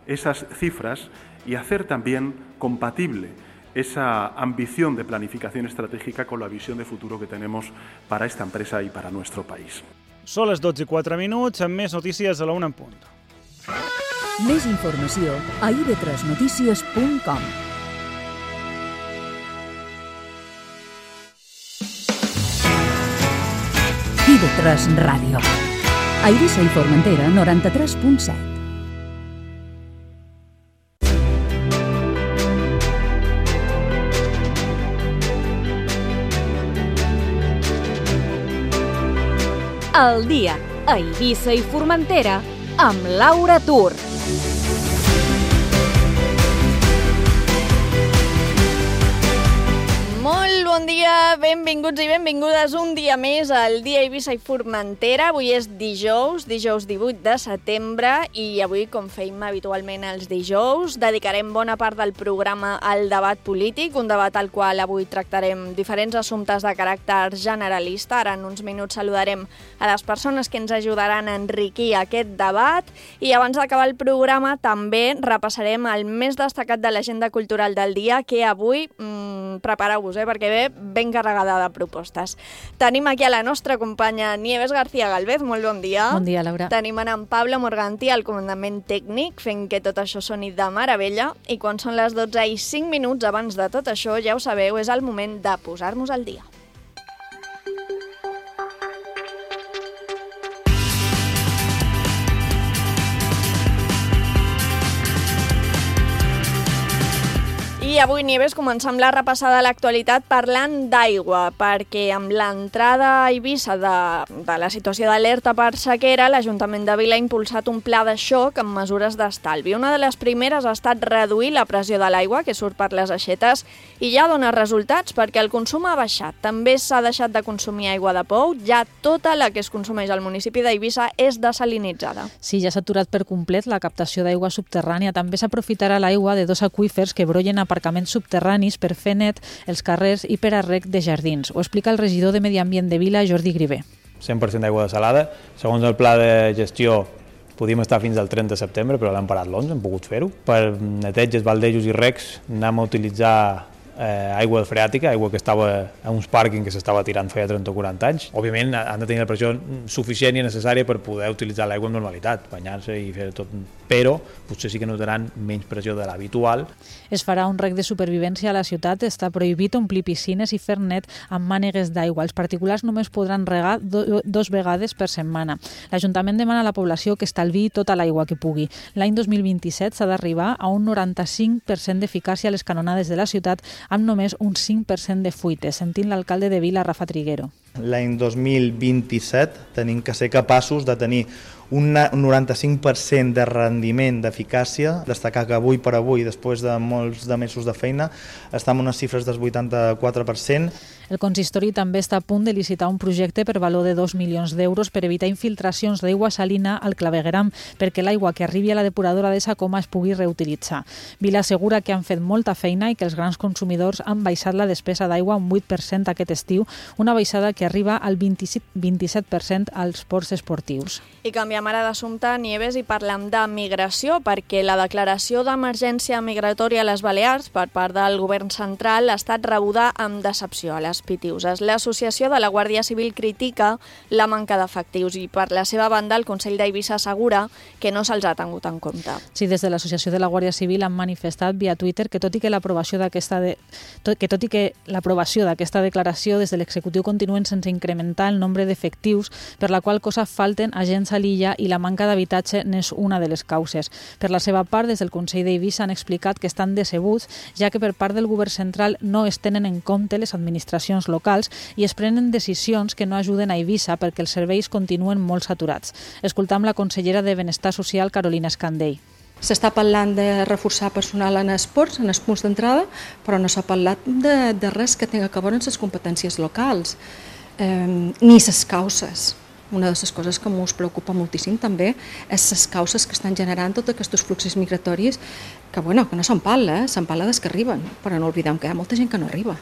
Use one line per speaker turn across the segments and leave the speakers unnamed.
esas cifras y hacer también compatible esa ambición de planificación estratégica con la visión de futuro que tenemos para esta empresa y para nuestro país.
Són les 12:04, amb més notícies a la 1 en punt.
Més informació a ib3notícies.com. IB3 Ràdio. A Eivissa i Formentera, 93.7.
El dia a Eivissa i Formentera amb Laura Tur. Molt bon dia, benvinguts i benvingudes un dia més al dia Eivissa i Formentera. Avui és dijous 18 de setembre i avui, com feim habitualment els dijous, dedicarem bona part del programa al debat polític, un debat al qual avui tractarem diferents assumptes de caràcter generalista. Ara en uns minuts saludarem a les persones que ens ajudaran a enriquir aquest debat i abans d'acabar el programa també repassarem el més destacat de l'agenda cultural del dia, que avui, prepareu-vos, perquè ve ben carregada de propostes. Tenim aquí a la nostra companya Nieves García Galvez, molt bon dia.
Bon dia, Laura.
Tenim en Pablo Morganti al comandament tècnic, fent que tot això soni de meravella, i quan són les 12:05 abans de tot això, ja ho sabeu, és el moment de posar-nos al dia. I avui, Nieves, comencem la repassada de l'actualitat parlant d'aigua, perquè amb l'entrada a Eivissa de la situació d'alerta per sequera, l'Ajuntament de Vila ha impulsat un pla de xoc amb mesures d'estalvi. Una de les primeres ha estat reduir la pressió de l'aigua que surt per les aixetes i ja dona resultats perquè el consum ha baixat. També s'ha deixat de consumir aigua de pou, ja tota la que es consumeix al municipi d'Eivissa és desalinitzada.
Sí, ja s'ha aturat per complet la captació d'aigua subterrània. També s'aprofitarà l'aigua de dos aqüífers que brollen aparcaments subterranis per fer net els carrers i per a rec de jardins. Ho explica el regidor de Medi Ambient de Vila, Jordi Grivé.
100% d'aigua desalada. Segons el pla de gestió podíem estar fins al 30 de setembre, però l'hem parat l'11, hem pogut fer-ho. Per neteges, baldejos i recs anem a utilitzar aigua freàtica, aigua que estava en uns pàrquings que s'estava tirant feia 30 o 40 anys. Òbviament han de tenir la pressió suficient i necessària per poder utilitzar l'aigua amb normalitat, banyar-se i fer tot, però potser sí que notaran menys pressió de l'habitual.
Es farà un rec de supervivència a la ciutat, està prohibit omplir piscines i fer net amb mànegues d'aigua. Els particulars només podran regar 2 vegades per setmana. L'Ajuntament demana a la població que estalviï tota l'aigua que pugui. L'any 2027 s'ha d'arribar a un 95% d'eficàcia a les canonades de la ciutat amb només un 5% de fuites, sentint l'alcalde de Vila, Rafa Triguero.
L'any 2027 tenim que ser capaços de tenir un 95% de rendiment d'eficàcia. Destacar que avui per avui, després de molts de mesos de feina, estem en unes xifres del 84%.
El consistori també està a punt de licitar un projecte per valor de 2 milions d'euros per evitar infiltracions d'aigua salina al clavegueram, perquè l'aigua que arribi a la depuradora de Sacoma es pugui reutilitzar. Vila assegura que han fet molta feina i que els grans consumidors han baixat la despesa d'aigua un 8% aquest estiu, una baixada que arriba al 27% als ports esportius.
I canviem ara d'assumpte, Nieves, i parlem de migració, perquè la declaració d'emergència migratòria a les Balears per part del govern central ha estat rebuda amb decepció a les Pitiuses. L'Associació de la Guàrdia Civil critica la manca d'efectius i, per la seva banda, el Consell d'Eivissa assegura que no se'ls ha tingut en compte.
Sí, des de l'Associació de la Guàrdia Civil han manifestat via Twitter que tot i que l'aprovació d'aquesta declaració des de l'executiu continuen sense incrementar el nombre d'efectius, per la qual cosa falten agents a l'illa i la manca d'habitatge n'és una de les causes. Per la seva part, des del Consell d'Eivissa han explicat que estan decebuts, ja que per part del govern central no es tenen en compte les administracions locals i es prenen decisions que no ajuden a Eivissa perquè els serveis continuen molt saturats. Escoltam la consellera de Benestar Social, Carolina Escandell.
S'està parlant de reforçar personal en esports, en els punts d'entrada, però no s'ha parlat de res que tingui a veure amb les competències locals, ni les causes. Una de les coses que ens preocupa moltíssim també és les causes que estan generant tots aquests fluxos migratoris que no s'empala, s'empala des que arriben, però no oblidem que hi ha molta gent que no arriba.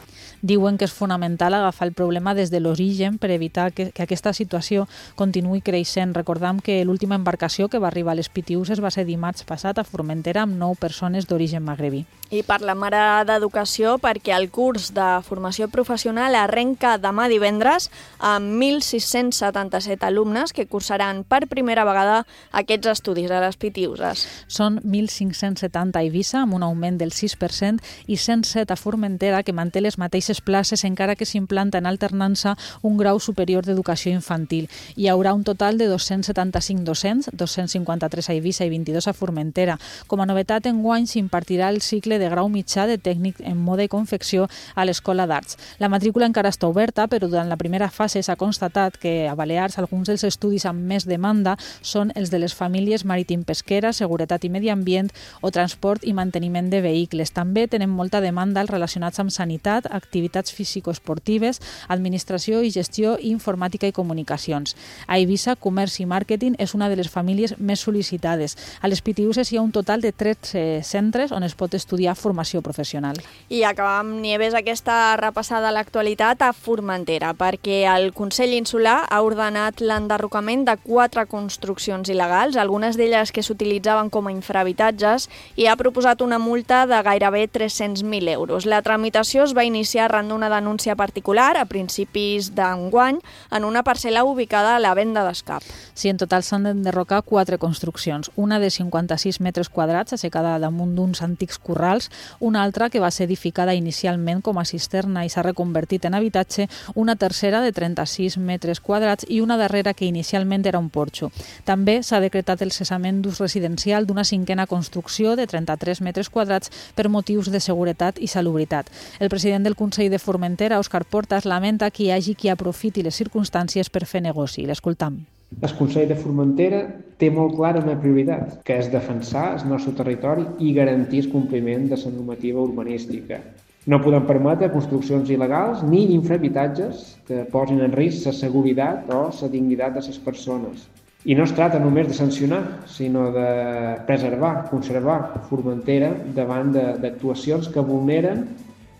Diuen que és fonamental agafar el problema des de l'origen per evitar que aquesta situació continuï creixent. Recordam que l'última embarcació que va arribar a les Pitiüses va ser dimarts passat a Formentera amb 9 persones d'origen magrebí.
I parlem ara d'educació perquè el curs de formació professional arrenca demà divendres amb 1.677 alumnes que cursaran per primera vegada aquests estudis a les Pitiüses.
Són 1.570 a Eivissa, amb un augment del 6%, i 107 a Formentera, que manté les mateixes places encara que s'implanta en alternança un grau superior d'educació infantil. Hi haurà un total de 275 docents, 253 a Eivissa i 22 a Formentera. Com a novetat, enguany s'impartirà el cicle de grau mitjà de tècnic en moda i confecció a l'Escola d'Arts. La matrícula encara està oberta, però durant la primera fase s'ha constatat que a Balears alguns dels estudis amb més demanda són els de les famílies marítim-pesquera, seguretat i medi ambient o transport i manteniment de vehicles. També tenen molta demanda els relacionats amb sanitat, activitats físico-esportives, administració i gestió, informàtica i comunicacions. A Eivissa, comerç i màrqueting és una de les famílies més sol·licitades. A les Pitiüses hi ha un total de 13 centres on es pot estudiar formació professional.
I acabam, Nieves, aquesta repassada a l'actualitat a Formentera, perquè el Consell Insular ha ordenat l'enderrocament de 4 construccions il·legals, algunes d'elles que s'utilitzaven com a infrahabitatges, i ha proposat una multa de gairebé 300.000 euros. La tramitació es va iniciar arran d'una denúncia particular a principis d'enguany en una parcel·la ubicada a la Venda d'Escap.
Sí, en total s'han d'enderrocar 4 construccions, una de 56 metres quadrats assecada damunt d'uns antics corrals, una altra que va ser edificada inicialment com a cisterna i s'ha reconvertit en habitatge, una tercera de 36 metres quadrats i una darrera que inicialment era un porxo. També s'ha decretat el cessament d'ús residencial d'una 5a construcció de 33 metres quadrats per motius de seguretat i salubritat. El president del Consell de Formentera, Òscar Portas, lamenta que hi hagi qui aprofiti les circumstàncies per fer negoci. L'escoltam.
El Consell de Formentera té molt clara una prioritat, que és defensar el nostre territori i garantir el compliment de la normativa urbanística. No podem permetre construccions il·legals ni infrahabitatges que posin en risc la seguretat o la dignitat de les persones. I no es tracta només de sancionar, sinó de preservar, conservar Formentera davant d'actuacions que vulneren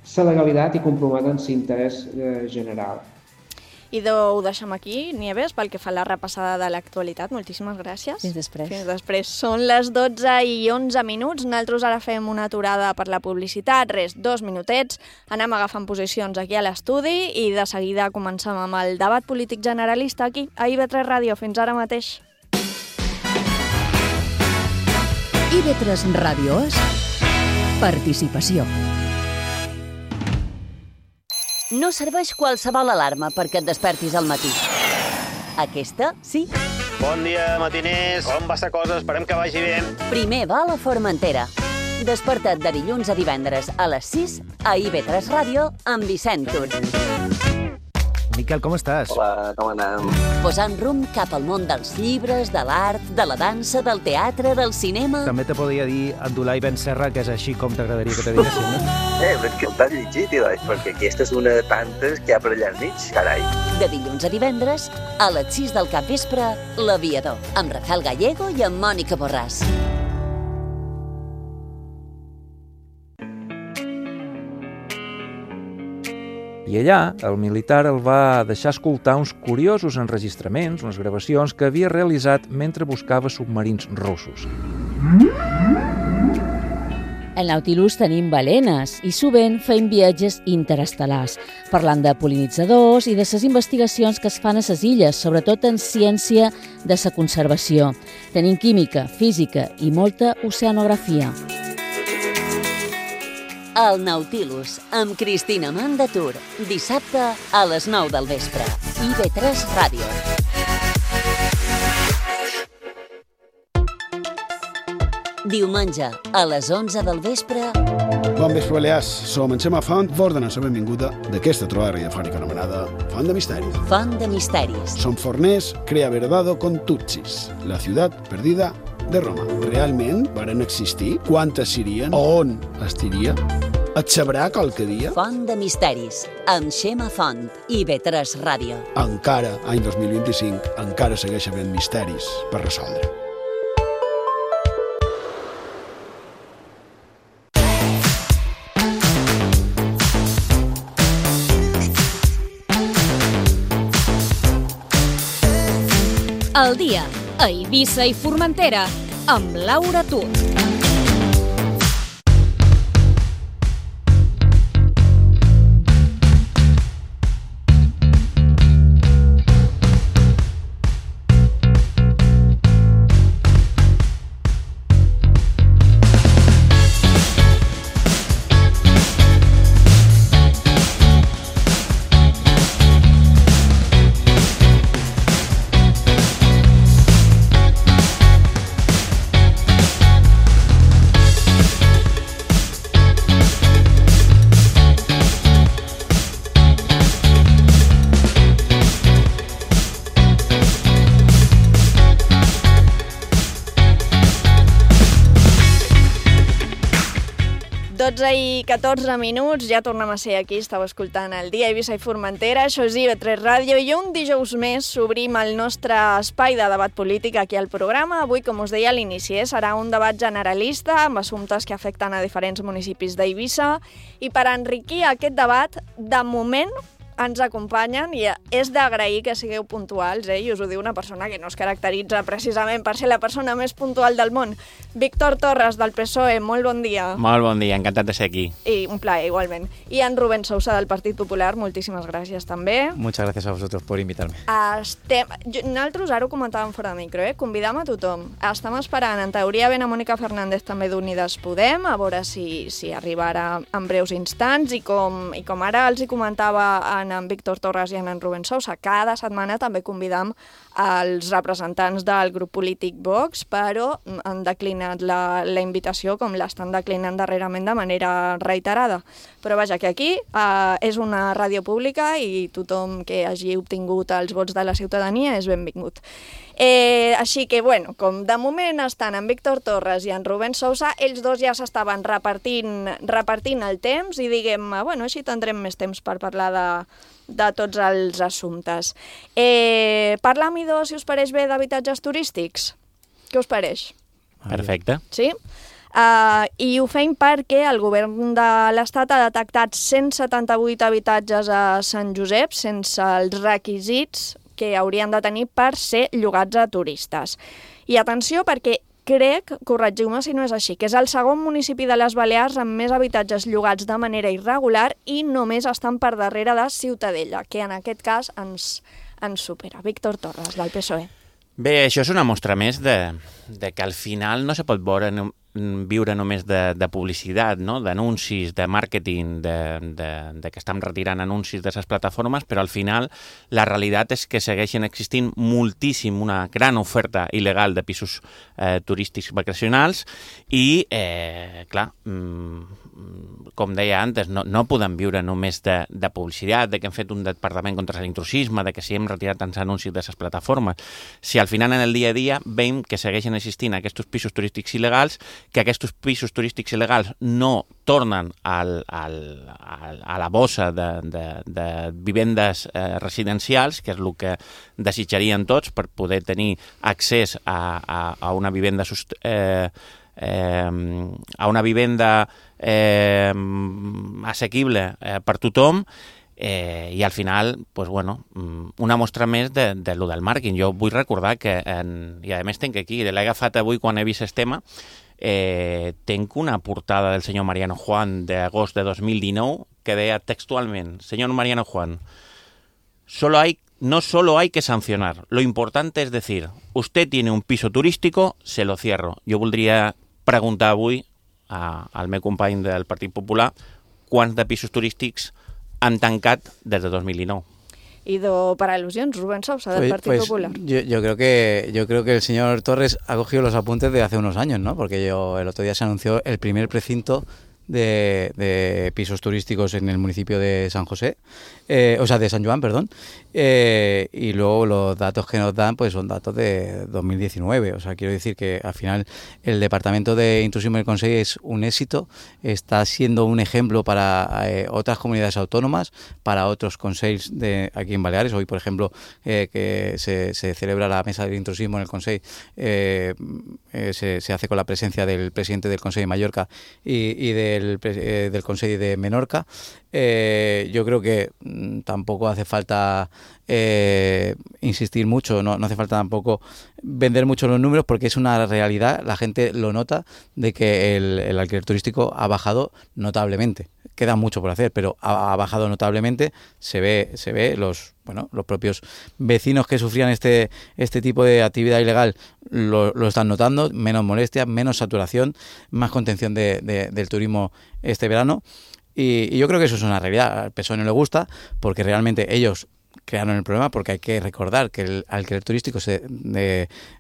la legalitat i comprometen l'interès general.
I ho deixem aquí, Nieves, pel que fa a la repassada de l'actualitat. Moltíssimes gràcies.
Fins després.
Fins després. Són les 12:11. Nosaltres ara fem una aturada per la publicitat. 2 minutets. Anem agafant posicions aquí a l'estudi i de seguida comencem amb el debat polític generalista aquí, a IB3 Ràdio. Fins ara mateix.
IB3 Ràdio és participació.
No serveix qualsevol alarma perquè et despertis al matí. Aquesta, sí.
Bon dia, matiners. Com va la cosa? Esperem que vagi bé.
Primer va a la Formentera. Desperta't de dilluns a divendres a les 6 a IB3 Ràdio amb Vicent Tur.
Miquel, com estàs?
Hola, com anem?
Posant rumb cap al món dels llibres, de l'art, de la dansa, del teatre, del cinema...
També te podria dir Abdullah Ibn Serra, que és així com t'agradaria que te diguessin, no?
Però és que el t'has llegit, perquè aquesta és una de tantes que hi ha per allà enmig, carai.
De dilluns a divendres, a les 6 del capvespre, L'Aviador, amb Rafael Gallego i amb Mònica Borràs.
I allà, el militar el va deixar escoltar uns curiosos enregistraments, unes gravacions que havia realitzat mentre buscava submarins russos.
Al Nautilus tenim balenes i sovint feim viatges interestel·lars, parlant de pol·linitzadors i de les investigacions que es fan a les illes, sobretot en ciència de la conservació. Tenim química, física i molta oceanografia.
El Nautilus, amb Cristina Mandatur, dissabte a les 9 del vespre. IB3 Ràdio. Diumenge, a les 11 del vespre...
Bon vespre, Balears. Som en Xema Font, vos donem la benvinguda d'aquesta trobada radiofònica anomenada Font de Misteris.
Font de Misteris.
Som forners, crea verdado con Tutsis, la ciutat perdida de Roma. Realment varen existir? Quantes serien? On estiria? Et sabrà qualque dia?
Font de Misteris, amb Xema Font, IB3 Ràdio.
Encara, any 2025, encara segueix havent misteris per resoldre.
al dia, a Eivissa i Formentera, amb Laura Tut.
I 14 minuts, ja tornem a ser aquí, estàu escoltant el dia Eivissa i Formentera, això és IB3 Ràdio, i un dijous més obrim el nostre espai de debat polític aquí al programa. Avui, com us deia a l'inici, serà un debat generalista amb assumptes que afecten a diferents municipis d'Eivissa, i per enriquir aquest debat, de moment ens acompanyen, i és d'agrair que sigueu puntuals, i us ho diu una persona que no es caracteritza precisament per ser la persona més puntual del món. Víctor Torres, del PSOE, molt bon dia.
Molt bon dia, encantat de ser aquí.
I un plaer, igualment. I en Rubén Sousa, del Partit Popular, moltíssimes gràcies també.
Muchas gracias a vosotros por invitarme.
Nosaltres ara ho comentàvem fora de micro, convidam a tothom. Estem esperant, en teoria, ben a Mònica Fernández també d'Unides Podem, a veure si arribarà en breus instants, i com ara els hi comentava en Víctor Torres i en Rubén Sousa, cada setmana també convidam els representants del grup polític Vox, però han declinat la invitació, com l'estan declinant darrerament de manera reiterada. Però vaja, que aquí és una ràdio pública i tothom que hagi obtingut els vots de la ciutadania és benvingut. Així que, bueno, com de moment estan en Víctor Torres i en Rubén Sousa, ells dos ja s'estaven repartint el temps i diguem, bueno, així tindrem més temps per parlar de tots els assumptes. Parlam, idò, si us pareix bé, d'habitatges turístics? Què us pareix?
Perfecte.
Sí? I ho fem perquè el govern de l'Estat ha detectat 178 habitatges a Sant Josep sense els requisits que haurien de tenir per ser llogats a turistes. I atenció, perquè crec, corregiu-me si no és així, que és el segon municipi de les Balears amb més habitatges llogats de manera irregular i només estan per darrere de Ciutadella, que en aquest cas ens supera. Víctor Torres, del PSOE.
Bé, això és una mostra més de que al final no se pot viure només de publicitat, no? D'anuncis, de màrqueting, de que estem retirant anuncis de les plataformes, però al final la realitat és que segueixen existint moltíssim, una gran oferta il·legal de pisos turístics vacacionals i, clar, com deia antes, no podem viure només de publicitat, de que hem fet un departament contra l'intrusisme, de que si hem retirat tants anuncis de les plataformes. Si al final en el dia a dia veiem que segueixen existint aquests pisos turístics il·legals, que aquests pisos turístics il·legals no tornen a la bossa de vivendes residencials, que és el que desitjarien tots per poder tenir accés a una vivenda assequible per tothom, i al final, pues bueno, una mostra més de lo del màrqueting. Jo vull recordar que, i a més tinc aquí, l'he agafat avui quan he vist el tema, tenc una portada del senyor Mariano Juan d'agost de 2019 que deia textualment: señor Mariano Juan, no solo hay que sancionar, lo importante es decir, usted tiene un piso turístico, se lo cierro. Jo voldria preguntar avui al meu company del Partit Popular quants de pisos turístics han tancat des de 2019.
Y para alusiones, Rubén Sousa, del Partido Popular.
Yo creo que el señor Torres ha cogido los apuntes de hace unos años, ¿no? Porque el otro día se anunció el primer precinto de pisos turísticos en el municipio de San José, de San Joan, perdón, y luego los datos que nos dan pues son datos de 2019, o sea, quiero decir que al final el Departamento de Intrusismo del Consell es un éxito, está siendo un ejemplo para otras comunidades autónomas, para otros consells aquí en Baleares. Hoy, por ejemplo, que se celebra la mesa del intrusismo en el Consell, se hace con la presencia del presidente del Consell de Mallorca y de
del Consell de Menorca. Yo creo que tampoco hace falta insistir mucho, no hace falta tampoco vender mucho los números, porque es una realidad, la gente lo nota, de que el alquiler turístico ha bajado notablemente. Queda mucho por hacer, pero ha bajado notablemente. Se ve los propios vecinos que sufrían este tipo de actividad ilegal lo están notando, menos molestias, menos saturación, más contención del turismo este verano. Y yo creo que eso es una realidad. Al PSOE no le gusta, porque realmente ellos crearon el problema, porque hay que recordar que el alquiler turístico se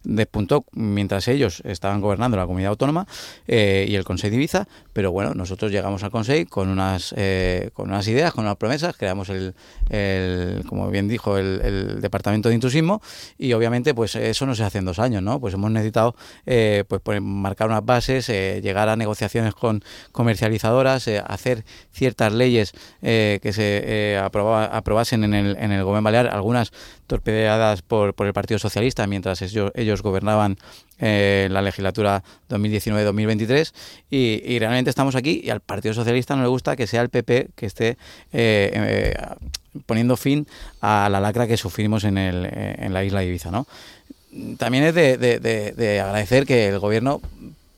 despuntó mientras ellos estaban gobernando la comunidad autónoma y el Consell de Ibiza, pero bueno, nosotros llegamos al Consell con unas ideas, con unas promesas, creamos como bien dijo, el Departamento de Intrusismo, y obviamente pues eso no se hace en 2 años, ¿no? Pues hemos necesitado marcar unas bases, llegar a negociaciones con comercializadoras, hacer ciertas leyes que se aprobasen en el Gobierno Balear, algunas torpedeadas por el Partido Socialista mientras ellos gobernaban la legislatura 2019-2023, y realmente estamos aquí, y al Partido Socialista no le gusta que sea el PP que esté poniendo fin a la lacra que sufrimos en la isla de Ibiza, ¿no? También es de agradecer que el Gobierno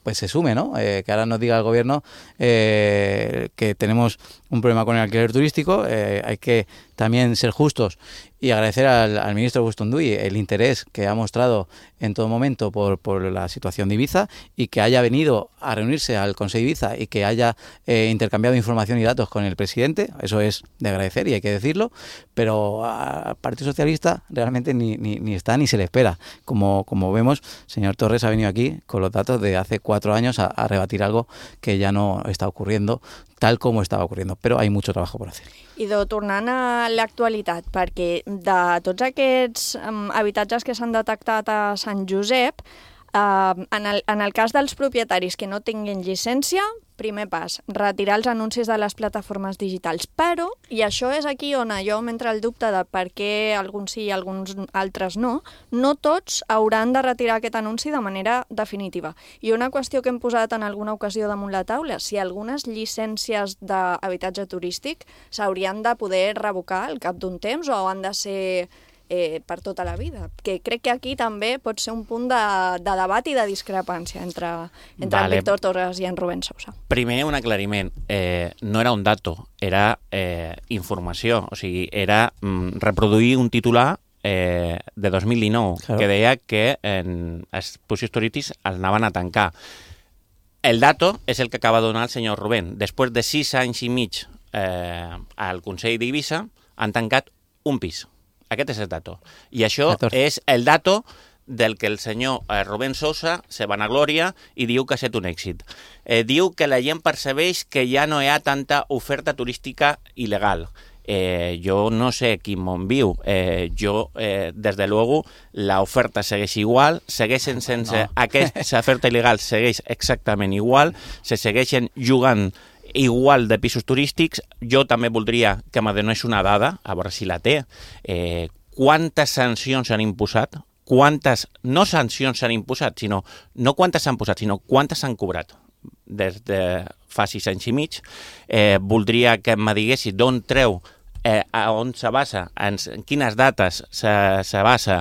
pues se sume, ¿no? Que ahora nos diga el Gobierno que tenemos un problema con el alquiler turístico. Hay que también ser justos y agradecer al ministro Bustunduy el interés que ha mostrado en todo momento por la situación de Ibiza, y que haya venido a reunirse al Consell de Ibiza y que haya intercambiado información y datos con el presidente. Eso es de agradecer y hay que decirlo, pero al Partido Socialista realmente ni está ni se le espera. Como vemos, señor Torres ha venido aquí con los datos de hace 4 años a rebatir algo que ya no está ocurriendo tal com estava ocurriendo, però hi ha molt treball per fer.
Idò, tornant a l'actualitat, perquè de tots aquests habitatges que s'han detectat a Sant Josep, en el cas dels propietaris que no tinguin llicència, primer pas, retirar els anuncis de les plataformes digitals. Però, i això és aquí on jo m'entra el dubte de per què alguns sí i alguns altres no tots hauran de retirar aquest anunci de manera definitiva. I una qüestió que hem posat en alguna ocasió damunt la taula, si algunes llicències d'habitatge turístic s'haurien de poder revocar al cap d'un temps o han de ser per tota la vida, que crec que aquí també pot ser un punt de debat i de discrepància entre en Víctor Torres i en Rubén Sousa.
Primer, un aclariment. No era un dato, era informació. O sigui, era reproduir un titular de 2019, claro, que deia que els pisos turístics els anaven a tancar. El dato és el que acaba de donar el senyor Rubén. Després de 6 anys i mig al Consell d'Eivissa han tancat un pis. Aquest és el dato. I això 14. És el dato del que el senyor Rubén Sousa se vanagloria i diu que ha estat un èxit. Diu que la gent percebeix que ja no hi ha tanta oferta turística il·legal. Jo no sé quin món viu. Des de luego, la oferta segueix igual, segueixen sense... Aquesta oferta il·legal segueix exactament igual, se segueixen jugant igual de pisos turístics. Jo també voldria que me donés una dada, a veure si la té. Quantes sancions s'han imposat? Quantes, no sancions s'han imposat, sinó no quantes s'han posat, sinó quantes s'han cobrat des de fa 6 anys i mig. Voldria que me diguessi d'on treu, on se basa, en quines dates se basa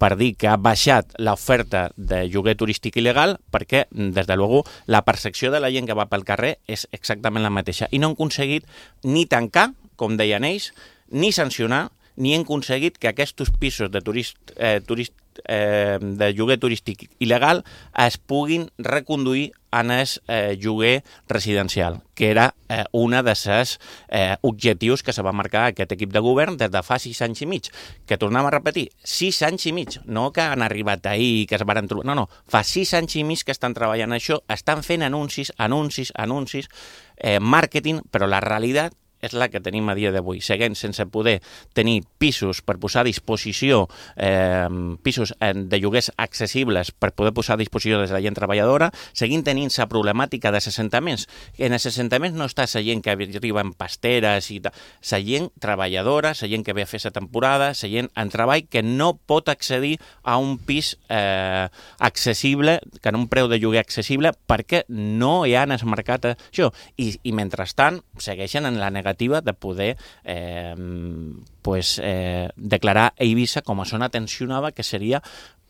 per dir que ha baixat l'oferta de lloguer turístic il·legal, perquè, des de luego, la percepció de la gent que va pel carrer és exactament la mateixa. I no han aconseguit ni tancar, com deien ells, ni sancionar, ni han aconseguit que aquests pisos de lloguer turístic il·legal es puguin reconduir en el lloguer residencial, que era un dels objectius que se va marcar aquest equip de govern des de fa 6 anys i mig. Que tornem a repetir, 6 anys i mig, no que han arribat ahir i que es van trobar... No, fa 6 anys i mig que estan treballant això, estan fent anuncis, màrqueting, però la realitat és la que tenim a dia d'avui. Seguim sense poder tenir pisos per posar a disposició, pisos de lloguers accessibles per poder posar a disposició de la gent treballadora, seguim tenint la problemàtica dels assentaments. En els assentaments no està la gent que arriba en pasteres i tal, la gent treballadora, la gent que ve a fer la temporada, la gent en treball que no pot accedir a un pis accessible, que en un preu de lloguer accessible, perquè no hi ha en el mercat això. I mentrestant segueixen en la negativa de poder declarar Eivissa com a zona tensionada, que seria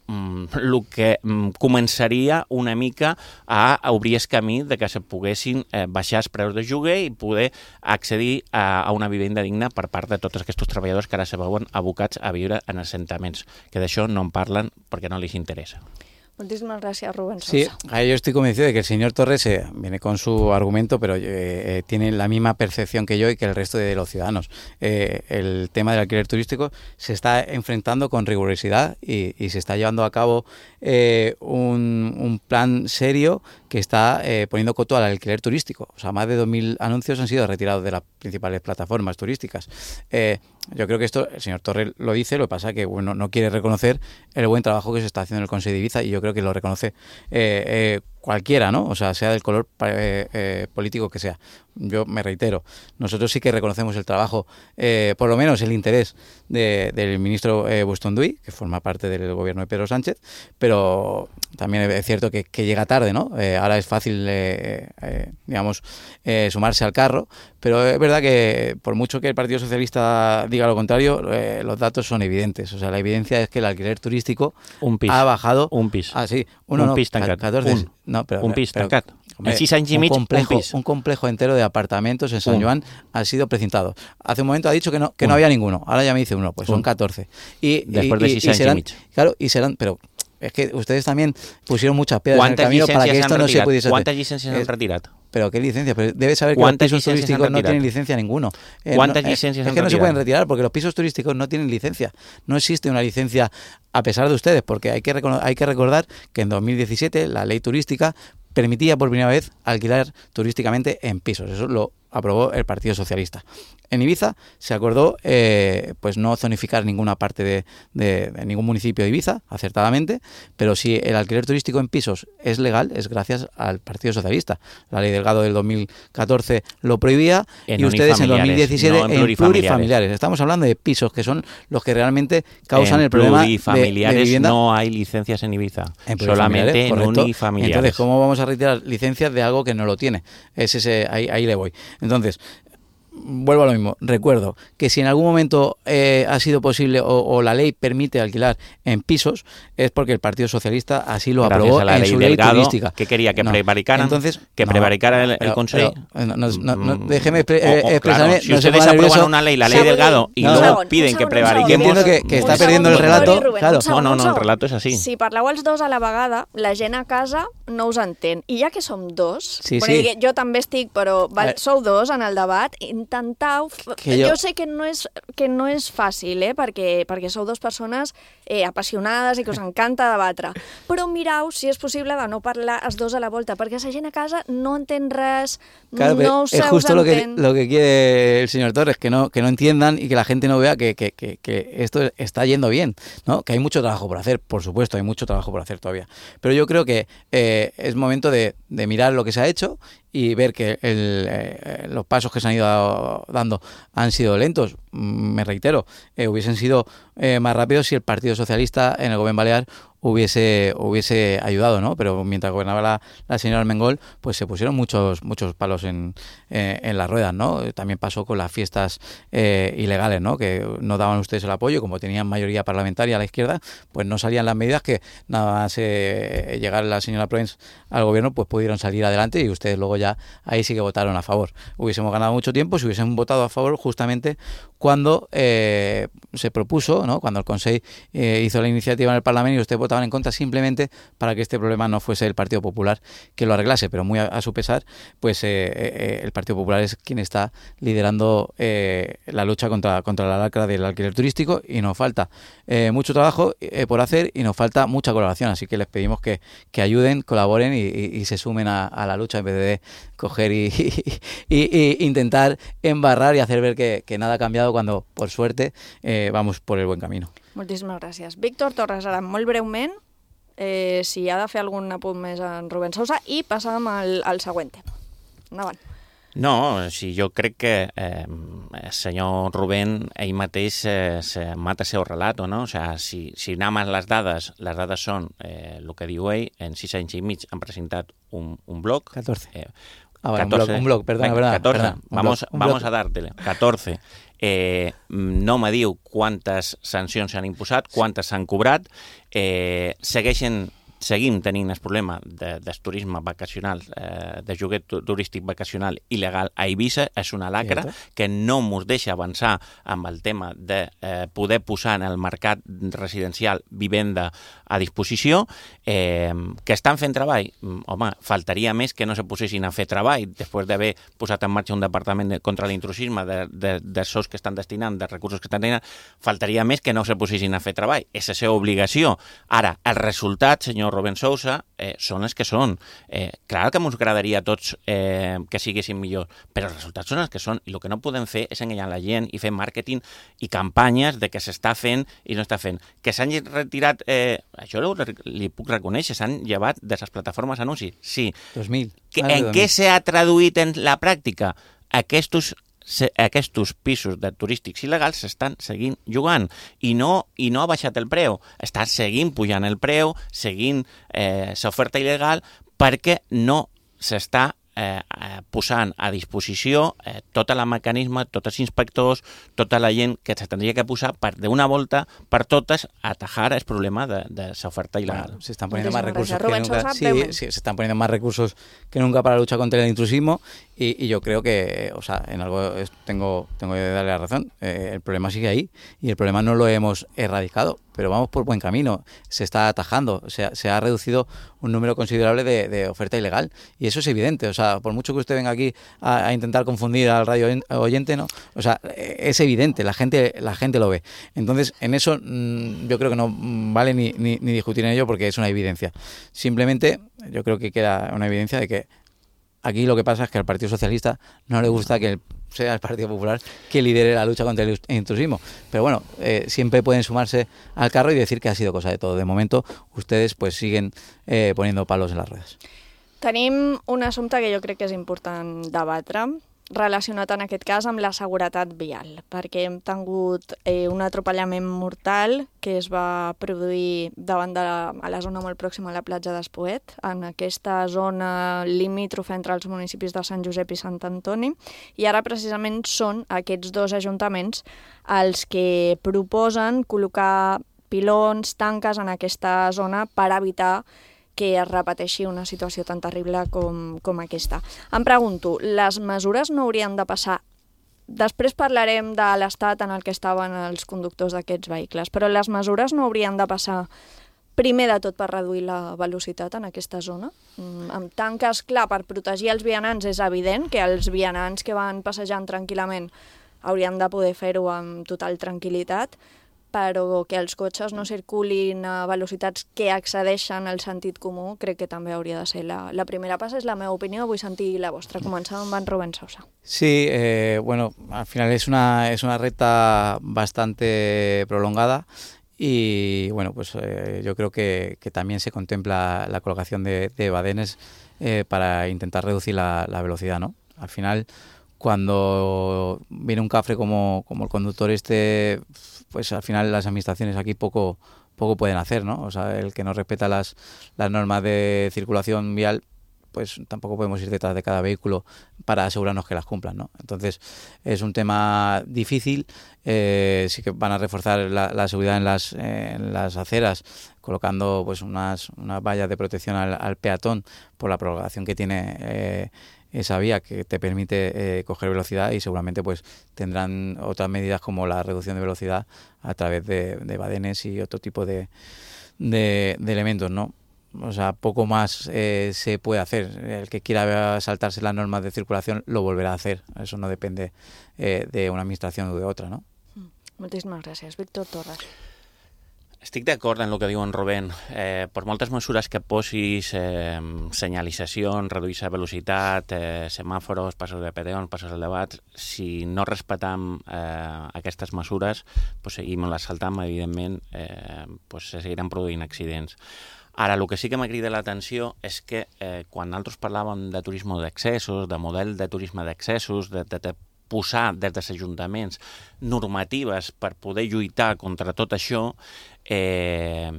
el que començaria una mica a obrir el camí de que se poguessin baixar els preus de lloguer i poder accedir a una vivenda digna per part de tots aquests treballadors que ara se veuen abocats a viure en assentaments, que d'això no en parlen perquè no les interessa.
Muchísimas gracias, Rubén Sosa.
Sí, yo estoy convencido de que el señor Torres viene con su argumento, pero tiene la misma percepción que yo y que el resto de los ciudadanos. El tema del alquiler turístico se está enfrentando con rigurosidad y se está llevando a cabo un plan serio que está poniendo coto al alquiler turístico. O sea, más de 2.000 anuncios han sido retirados de las principales plataformas turísticas. Yo creo que esto, el señor Torres lo dice, lo que pasa es que no quiere reconocer el buen trabajo que se está haciendo en el Consejo de Ibiza, y yo creo que lo reconoce cualquiera, ¿no? O sea del color político que sea. Yo me reitero, nosotros sí que reconocemos el trabajo, por lo menos el interés del ministro Bustonduy, que forma parte del gobierno de Pedro Sánchez, pero también es cierto que llega tarde, ¿no? Ahora es fácil, sumarse al carro, pero es verdad que por mucho que el Partido Socialista diga lo contrario, los datos son evidentes. O sea, la evidencia es que el alquiler turístico ha bajado...
Un pis.
Ah, sí.
Un pis tancat.
14,
un pis tancat. En 6 anys i mig, un pis.
Un complejo entero de apartamentos en San Joan ha sido precintado. Hace un momento ha dicho que no había ninguno. Ahora ya me dice uno, pues son 14.
Después de 6 anys i mig.
Claro, y serán... Pero es que ustedes también pusieron muchas piedras en el camino para que esto no se pudiese hacer.
¿Cuántas licencias han retirado?
¿Pero qué licencias? Pero debes saber que los pisos turísticos no tienen licencia ninguno.
¿Cuántas licencias han retirado?
Es que no se pueden retirar porque los pisos turísticos no tienen licencia. No existe una licencia a pesar de ustedes, porque hay que recordar que en 2017 la ley turística permitía por primera vez alquilar turísticamente en pisos. Eso lo aprobó el Partido Socialista. En Ibiza se acordó pues no zonificar ninguna parte de ningún municipio de Ibiza, acertadamente, pero si el alquiler turístico en pisos es legal, es gracias al Partido Socialista. La ley Delgado del 2014 lo prohibía y ustedes en 2017 en plurifamiliares. Estamos hablando de pisos que son los que realmente causan el problema de vivienda.
No hay licencias en Ibiza, solamente en unifamiliares.
Entonces, ¿cómo vamos a retirar licencias de algo que no lo tiene? Ahí le voy. Entonces, vuelvo a lo mismo, recuerdo que si en algún momento ha sido posible o la ley permite alquilar en pisos, es porque el Partido Socialista así lo aprobó en su ley turística.
¿Qué quería? ¿Que prevaricaran? Entonces, ¿que prevaricara el Consejo?
Déjeme expresarme.
Claro, si ustedes aprueban una ley, la ley Delgado, y luego piden que prevariquemos...
Entiendo que está perdiendo el relato.
Claro. No, el relato és així.
Si parleu els dos a la vegada, la gent a casa no us entén. I ja que som dos, jo també estic, però sou dos en el debat, intentau... Jo sé que no és fàcil, perquè sou dues persones apassionades i que us encanta debatre, però mirau si és possible de no parlar els dos a la volta, perquè la gent a casa no entén res, no se us entén.
Es justo lo que quiere el señor Torres, que no entiendan y que la gente no vea que esto está yendo bien, ¿no? Que hay mucho trabajo por hacer, por supuesto, hay mucho trabajo por hacer todavía, pero yo creo que es momento de mirar lo que se ha hecho y ver que los pasos que se han ido dando han sido lentos. Me reitero, hubiesen sido más rápidos si el Partido Socialista en el Gobierno Balear hubiese ayudado, ¿no? Pero mientras gobernaba la señora Armengol, pues se pusieron muchos palos en las ruedas, ¿no? También pasó con las fiestas ilegales, ¿no? Que no daban ustedes el apoyo, como tenían mayoría parlamentaria a la izquierda, pues no salían las medidas que nada más llegar la señora Proens al gobierno, pues pudieron salir adelante y ustedes luego ya ahí sí que votaron a favor. Hubiésemos ganado mucho tiempo si hubiesen votado a favor justamente cuando se propuso, ¿no? Cuando el Consejo hizo la iniciativa en el Parlamento y ustedes votaban en contra simplemente para que este problema no fuese el Partido Popular que lo arreglase, pero muy a su pesar, pues el Partido Popular es quien está liderando la lucha contra la lacra del alquiler turístico y nos falta mucho trabajo por hacer y nos falta mucha colaboración, así que les pedimos que ayuden, colaboren y se sumen a la lucha en vez de coger y intentar embarrar y hacer ver que nada ha cambiado cuando, por suerte, vamos por el buen camino.
Moltíssimes gràcies. Víctor Torres, ara molt breument, si ha de fer algun apunt més en Rubén Sousa i passàvem al següent tema. Endavant.
No, si jo crec que el senyor Rubén ell mateix se mata el seu relato, no? O sea, si anem a les dades són el que diu ell, en 6 anys i mig han presentat un blog.
14.
14,
un blog, perdona.
14, vamos a dártele. 14. No me diu quantes sancions s'han imposat, quantes s'han cobrat. Seguim tenint el problema del turisme vacacional, de lloguer turístic vacacional il·legal a Eivissa. És una lacra que no ens deixa avançar amb el tema de poder posar en el mercat residencial vivenda a disposició. Que estan fent treball? Home, faltaria més que no se posessin a fer treball després d'haver posat en marxa un departament contra l'intrusisme de sous que estan destinant, de recursos que estan destinant. Faltaria més que no se posessin a fer treball. És la seva obligació. Ara, el resultat, senyor Rubén Sousa, són els que són. Clar que ens agradaria a tots que siguessin millors, però els resultats són els que són, i el que no podem fer és enganyar la gent i fer màrqueting i campanyes de que s'està fent i no està fent. Que s'han retirat, això li puc reconèixer, s'han llevat de les plataformes anuncis. Sí.
2000.
En què s'ha traduït en la pràctica? Aquests pisos de turístics il·legals s'estan seguint jugant i no ha baixat el preu, està seguint pujant el preu, seguint l'oferta il·legal perquè no s'està posant a disposició tot el mecanisme, tots els inspectors, tota la gent que s'hauria que posar per d'una volta per totes atajar el problema de l'oferta il·legal.
Se están poniendo más recursos que nunca. Sí, se están poniendo más recursos que nunca para la lucha contra el intrusismo y yo creo que, o sea, en algo tengo que darle la razón. El problema sigue ahí y el problema no lo hemos erradicado, pero vamos por buen camino. Se está atajando, se ha reducido un número considerable de oferta ilegal y eso es evidente. O sea, por mucho que usted venga aquí a intentar confundir al radio oyente, ¿no? O sea, es evidente, la gente lo ve. Entonces, en eso yo creo que no vale ni discutir en ello porque es una evidencia. Simplemente yo creo que queda una evidencia de que aquí lo que pasa es que al Partido Socialista no le gusta que sea el Partido Popular que lidere la lucha contra el intrusismo. Pero bueno, siempre pueden sumarse al carro y decir que ha sido cosa de todo. De momento, ustedes pues siguen poniendo palos en las ruedas.
Tenim un assumpte que jo crec que és important debatre, relacionat en aquest cas amb la seguretat vial, perquè hem tingut un atropellament mortal que es va produir davant a la zona molt pròxima a la platja d'Espoet, en aquesta zona limítrofa entre els municipis de Sant Josep i Sant Antoni, i ara precisament són aquests dos ajuntaments els que proposen col·locar pilons, tanques en aquesta zona per evitar que es repeteixi una situació tan terrible com aquesta. Em pregunto, les mesures no haurien de passar... Després parlarem de l'estat en el que estaven els conductors d'aquests vehicles, però les mesures no haurien de passar primer de tot per reduir la velocitat en aquesta zona? Amb tanques, clar, per protegir els vianants és evident que els vianants que van passejant tranquil·lament haurien de poder fer-ho amb total tranquil·litat, però que els cotxes no circulin a velocitats que excedeixen el sentit comú, crec que també hauria de ser la primera passa. És la meva opinió, vull sentir la vostra. Començant amb en Rubén Sousa.
Sí, bueno, al final es una recta bastante prolongada y bueno, pues yo creo que también se contempla la colocación de badenes para intentar reducir la velocidad, ¿no? Al final, cuando viene un cafre como el conductor pues al final las administraciones aquí poco pueden hacer, ¿no? O sea, el que no respeta las normas de circulación vial, pues tampoco podemos ir detrás de cada vehículo para asegurarnos que las cumplan, ¿no? Entonces es un tema difícil. Sí que van a reforzar la seguridad en las aceras, colocando pues unas vallas de protección al peatón por la prolongación que tiene esa vía, que te permite coger velocidad, y seguramente pues tendrán otras medidas como la reducción de velocidad a través de badenes y otro tipo de elementos, ¿no? O sea, poco más se puede hacer. El que quiera saltarse las normas de circulación lo volverá a hacer. Eso no depende de una administración o de otra, ¿no?
Moltíssimes gràcies. Víctor Torres.
Estic d'acord en el que diu en Rubén. Per moltes mesures que posis, senyalitzacions, reduir la velocitat, semàforos, passos de peatons, passos elevats, si no respetam aquestes mesures, pues seguim les saltam, evidentment, pues se seguiran produint accidents. Ara, el que sí que m'ha cridat l'atenció és que quan nosaltres parlàvem de turisme d'accessos, de model de turisme d'accessos, de posar des dels ajuntaments normatives per poder lluitar contra tot això, la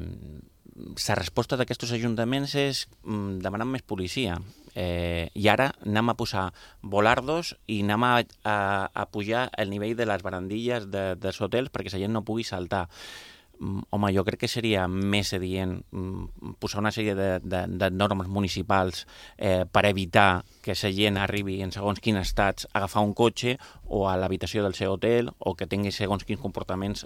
resposta d'aquests ajuntaments és demanar més policia. I ara anem a posar volardos i anem a pujar el nivell de les barandilles dels hotels perquè la gent no pugui saltar. Home, jo crec que seria més adient posar una sèrie de normes municipals per evitar que la gent arribi en segons quins estats a agafar un cotxe o a l'habitació del seu hotel, o que tingui segons quins comportaments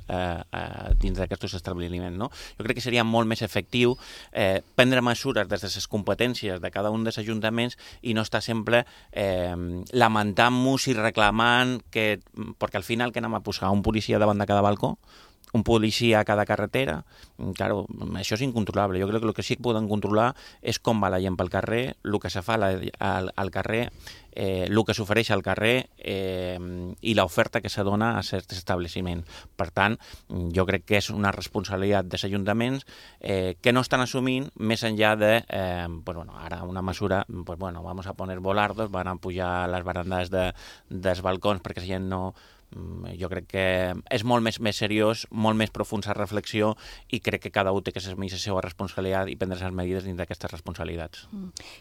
dins d'aquests establiments, no? Jo crec que seria molt més efectiu prendre mesures des de les competències de cada un dels ajuntaments i no estar sempre lamentant-nos i reclamant que, perquè al final que anem a posar un policia davant de cada balcó, un policia a cada carretera, claro, això és incontrolable. Jo crec que el que sí que poden controlar és com va la gent pel carrer, el que se fa al carrer, el que s'ofereix al carrer i l'oferta que se dona a certs establiments. Per tant, jo crec que és una responsabilitat dels ajuntaments que no estan assumint més enllà de, ara una mesura, vamos a poner volardos, van a pujar les barandes dels balcons perquè la gent no... Jo crec que és molt més seriós, molt més profund la reflexió, i crec que cada un té que assumir la seva responsabilitat i prendre les medides dins d'aquestes responsabilitats.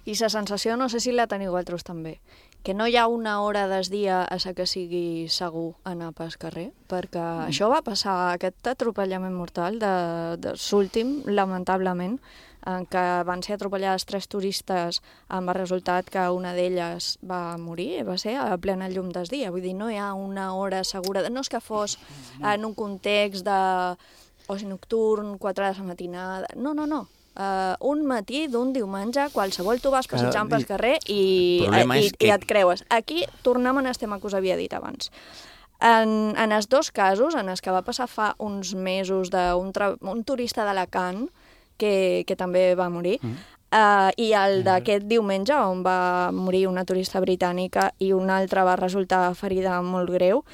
I la sensació, no sé si la teniu vosaltres també, que no hi ha una hora del dia a la que sigui segur anar pel carrer, perquè això va passar, aquest atropellament mortal de l'últim, lamentablement, en què van ser atropellades 3 turistes amb el resultat que una d'elles va morir, va ser a plena llum del dia. Vull dir, no hi ha una hora segura. No és que fos en un context d'oci nocturn, 4 de la matinada... No. Un matí d'un diumenge, qualsevol tu vas passejant pel carrer i et creues. Aquí tornem a el tema que us havia dit abans. En els dos casos, en els que va passar fa uns mesos d'un turista d'Alacant, que també va morir, i el d'aquest diumenge, on va morir una turista britànica i una altra va resultar ferida molt greu.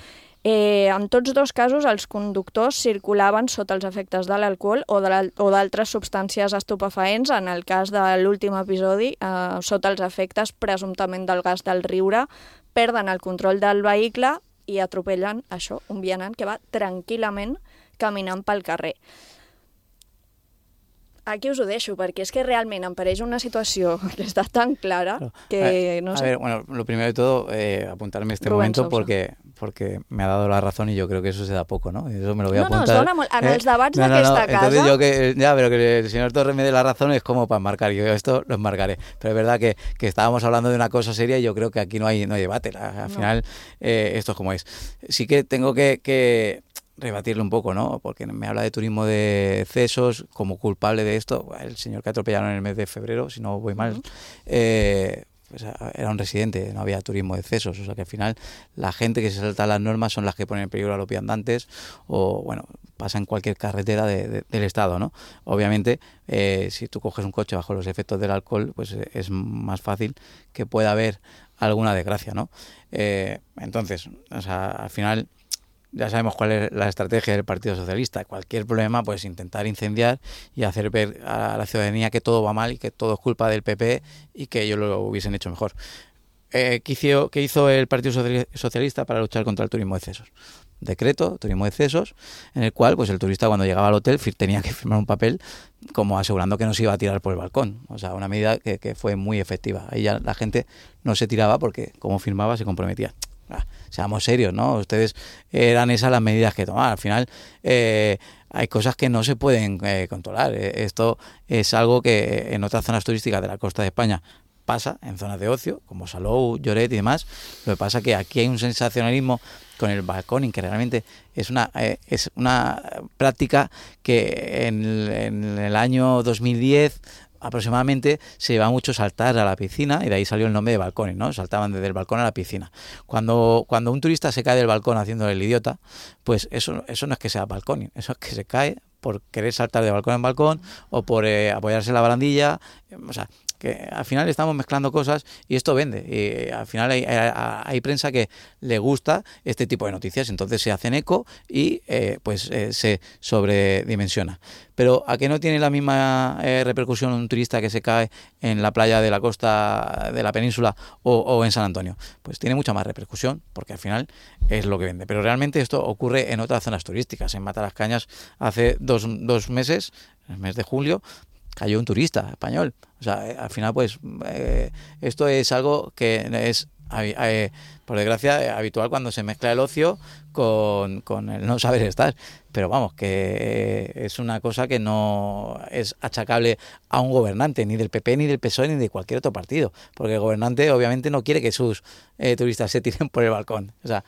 En tots dos casos, els conductors circulaven sota els efectes de l'alcohol o d'altres substàncies estupefaents. En el cas de l'últim episodi, sota els efectes presumptament del gas del riure, perden el control del vehicle i atropellen un vianant que va tranquil·lament caminant pel carrer. Aquí us ho deixo, perquè és que realment em pareix una situació que està tan clara que no sé...
A ver, bueno, lo primero de todo, apuntarme este momento porque me ha dado la razón y yo creo que eso se da poco, ¿no? Eso me lo voy a apuntar.
No, es dona molt. En els debats d'aquesta casa...
Entonces pero que el señor Torres me dé la razón es como para marcar. Yo esto lo enmarcaré. Pero es verdad que estábamos hablando de una cosa seria y yo creo que aquí no hay debate. Al final, esto es como es. Sí que tengo que rebatirlo un poco, ¿no? Porque me habla de turismo de excesos como culpable de esto. El señor que atropellaron en el mes de febrero, si no voy mal, pues era un residente, no había turismo de excesos. O sea que al final la gente que se salta las normas son las que ponen en peligro a los viandantes o, bueno, pasa en cualquier carretera del Estado, ¿no? Obviamente, si tú coges un coche bajo los efectos del alcohol, pues es más fácil que pueda haber alguna desgracia, ¿no? Entonces, o sea, al final... Ya sabemos cuál es la estrategia del Partido Socialista. Cualquier problema, pues intentar incendiar y hacer ver a la ciudadanía que todo va mal y que todo es culpa del PP y que ellos lo hubiesen hecho mejor. ¿qué hizo el Partido Socialista para luchar contra el turismo de excesos? Decreto, turismo de excesos, en el cual pues el turista cuando llegaba al hotel tenía que firmar un papel como asegurando que no se iba a tirar por el balcón. O sea, una medida que fue muy efectiva. Ahí ya la gente no se tiraba porque como firmaba se comprometía. Seamos serios, ¿no? Ustedes eran esas las medidas que tomaban. Al final hay cosas que no se pueden controlar. Esto es algo que en otras zonas turísticas de la costa de España pasa, en zonas de ocio, como Salou, Lloret y demás. Lo que pasa es que aquí hay un sensacionalismo con el balconing, que realmente es una práctica que en el año 2010 aproximadamente se lleva mucho saltar a la piscina y de ahí salió el nombre de balconing, ¿no? Saltaban desde el balcón a la piscina. Cuando un turista se cae del balcón haciéndole el idiota, pues eso no es que sea balconing, eso es que se cae por querer saltar de balcón en balcón o por apoyarse en la barandilla, o sea, que al final estamos mezclando cosas y esto vende. Y al final hay prensa que le gusta este tipo de noticias, entonces se hacen eco y se sobredimensiona. Pero ¿a qué no tiene la misma repercusión un turista que se cae en la playa de la costa de la península o en San Antonio? Pues tiene mucha más repercusión porque al final es lo que vende. Pero realmente esto ocurre en otras zonas turísticas. En Matalascañas hace dos meses, el mes de julio, cayó un turista español. O sea, al final, pues, esto es algo que es, por desgracia, habitual cuando se mezcla el ocio con el no saber estar. Pero vamos, que es una cosa que no es achacable a un gobernante, ni del PP, ni del PSOE, ni de cualquier otro partido. Porque el gobernante, obviamente, no quiere que sus turistas se tiren por el balcón. O sea...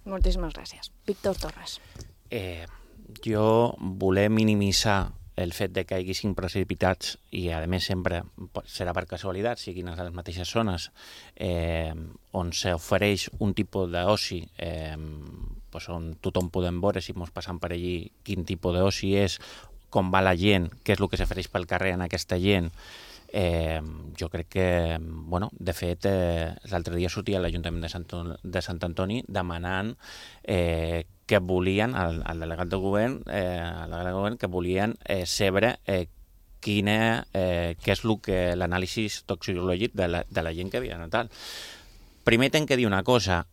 Moltíssimes gràcies. Víctor Torres.
Jo voler minimitzar el fet de que hi haguessin precipitats i, a més, sempre serà per casualitat, siguin a les mateixes zones on s'ofereix un tipus d'oci on tothom podem veure, si ens passam per allí, quin tipus d'oci és, com va la gent, què és el que s'ofereix pel carrer en aquesta gent. Jo crec que, de fet, l'altre dia sortia l'Ajuntament de Sant Antoni demanant que volien, al delegat de govern, que volien saber què és l'anàlisi toxicològic de la gent que havia anat. Primer hem de dir una cosa,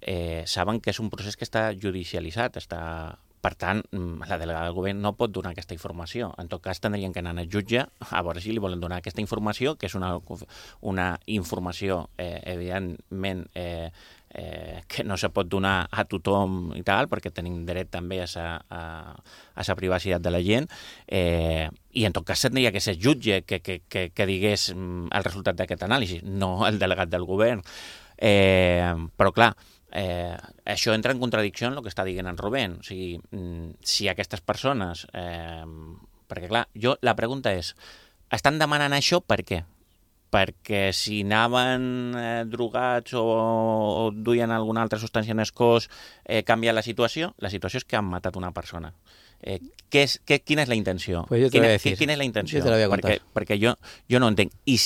saben que és un procés que està judicialitzat, per tant, la delegada del govern no pot donar aquesta informació. En tot cas, tindrien que anar al jutge a veure si li volen donar aquesta informació, que és una informació, evidentment, que no se pot donar a tothom i tal, perquè tenim dret també a la privacitat de la gent, i en tot cas tindria que ser jutge que digués el resultat d'aquest anàlisi, no el delegat del govern. Però, clar, això entra en contradicció amb el que està dient en Rubén. O sigui, si aquestes persones... perquè, clar, la pregunta és, estan demanant això per què? Perquè si anaven drogats o duien alguna altra substància en el cos canvia la situació? La situació és que han matat una persona. Quina és la intenció? Quina és la intenció? Perquè jo no entenc. I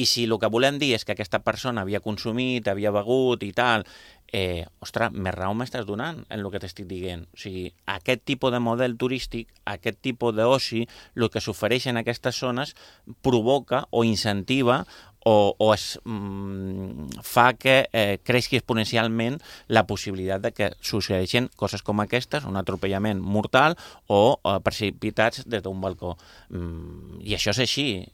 si el que volem dir és que aquesta persona havia consumit, havia begut i tal, ostres, més raó m'estàs donant en el que t'estic dient. O sigui, aquest tipus de model turístic, aquest tipus d'oci, el que s'ofereix en aquestes zones provoca o incentiva o es fa que creixi exponencialment la possibilitat de que succeeixin coses com aquestes, un atropellament mortal o precipitats des d'un balcó. I això és així.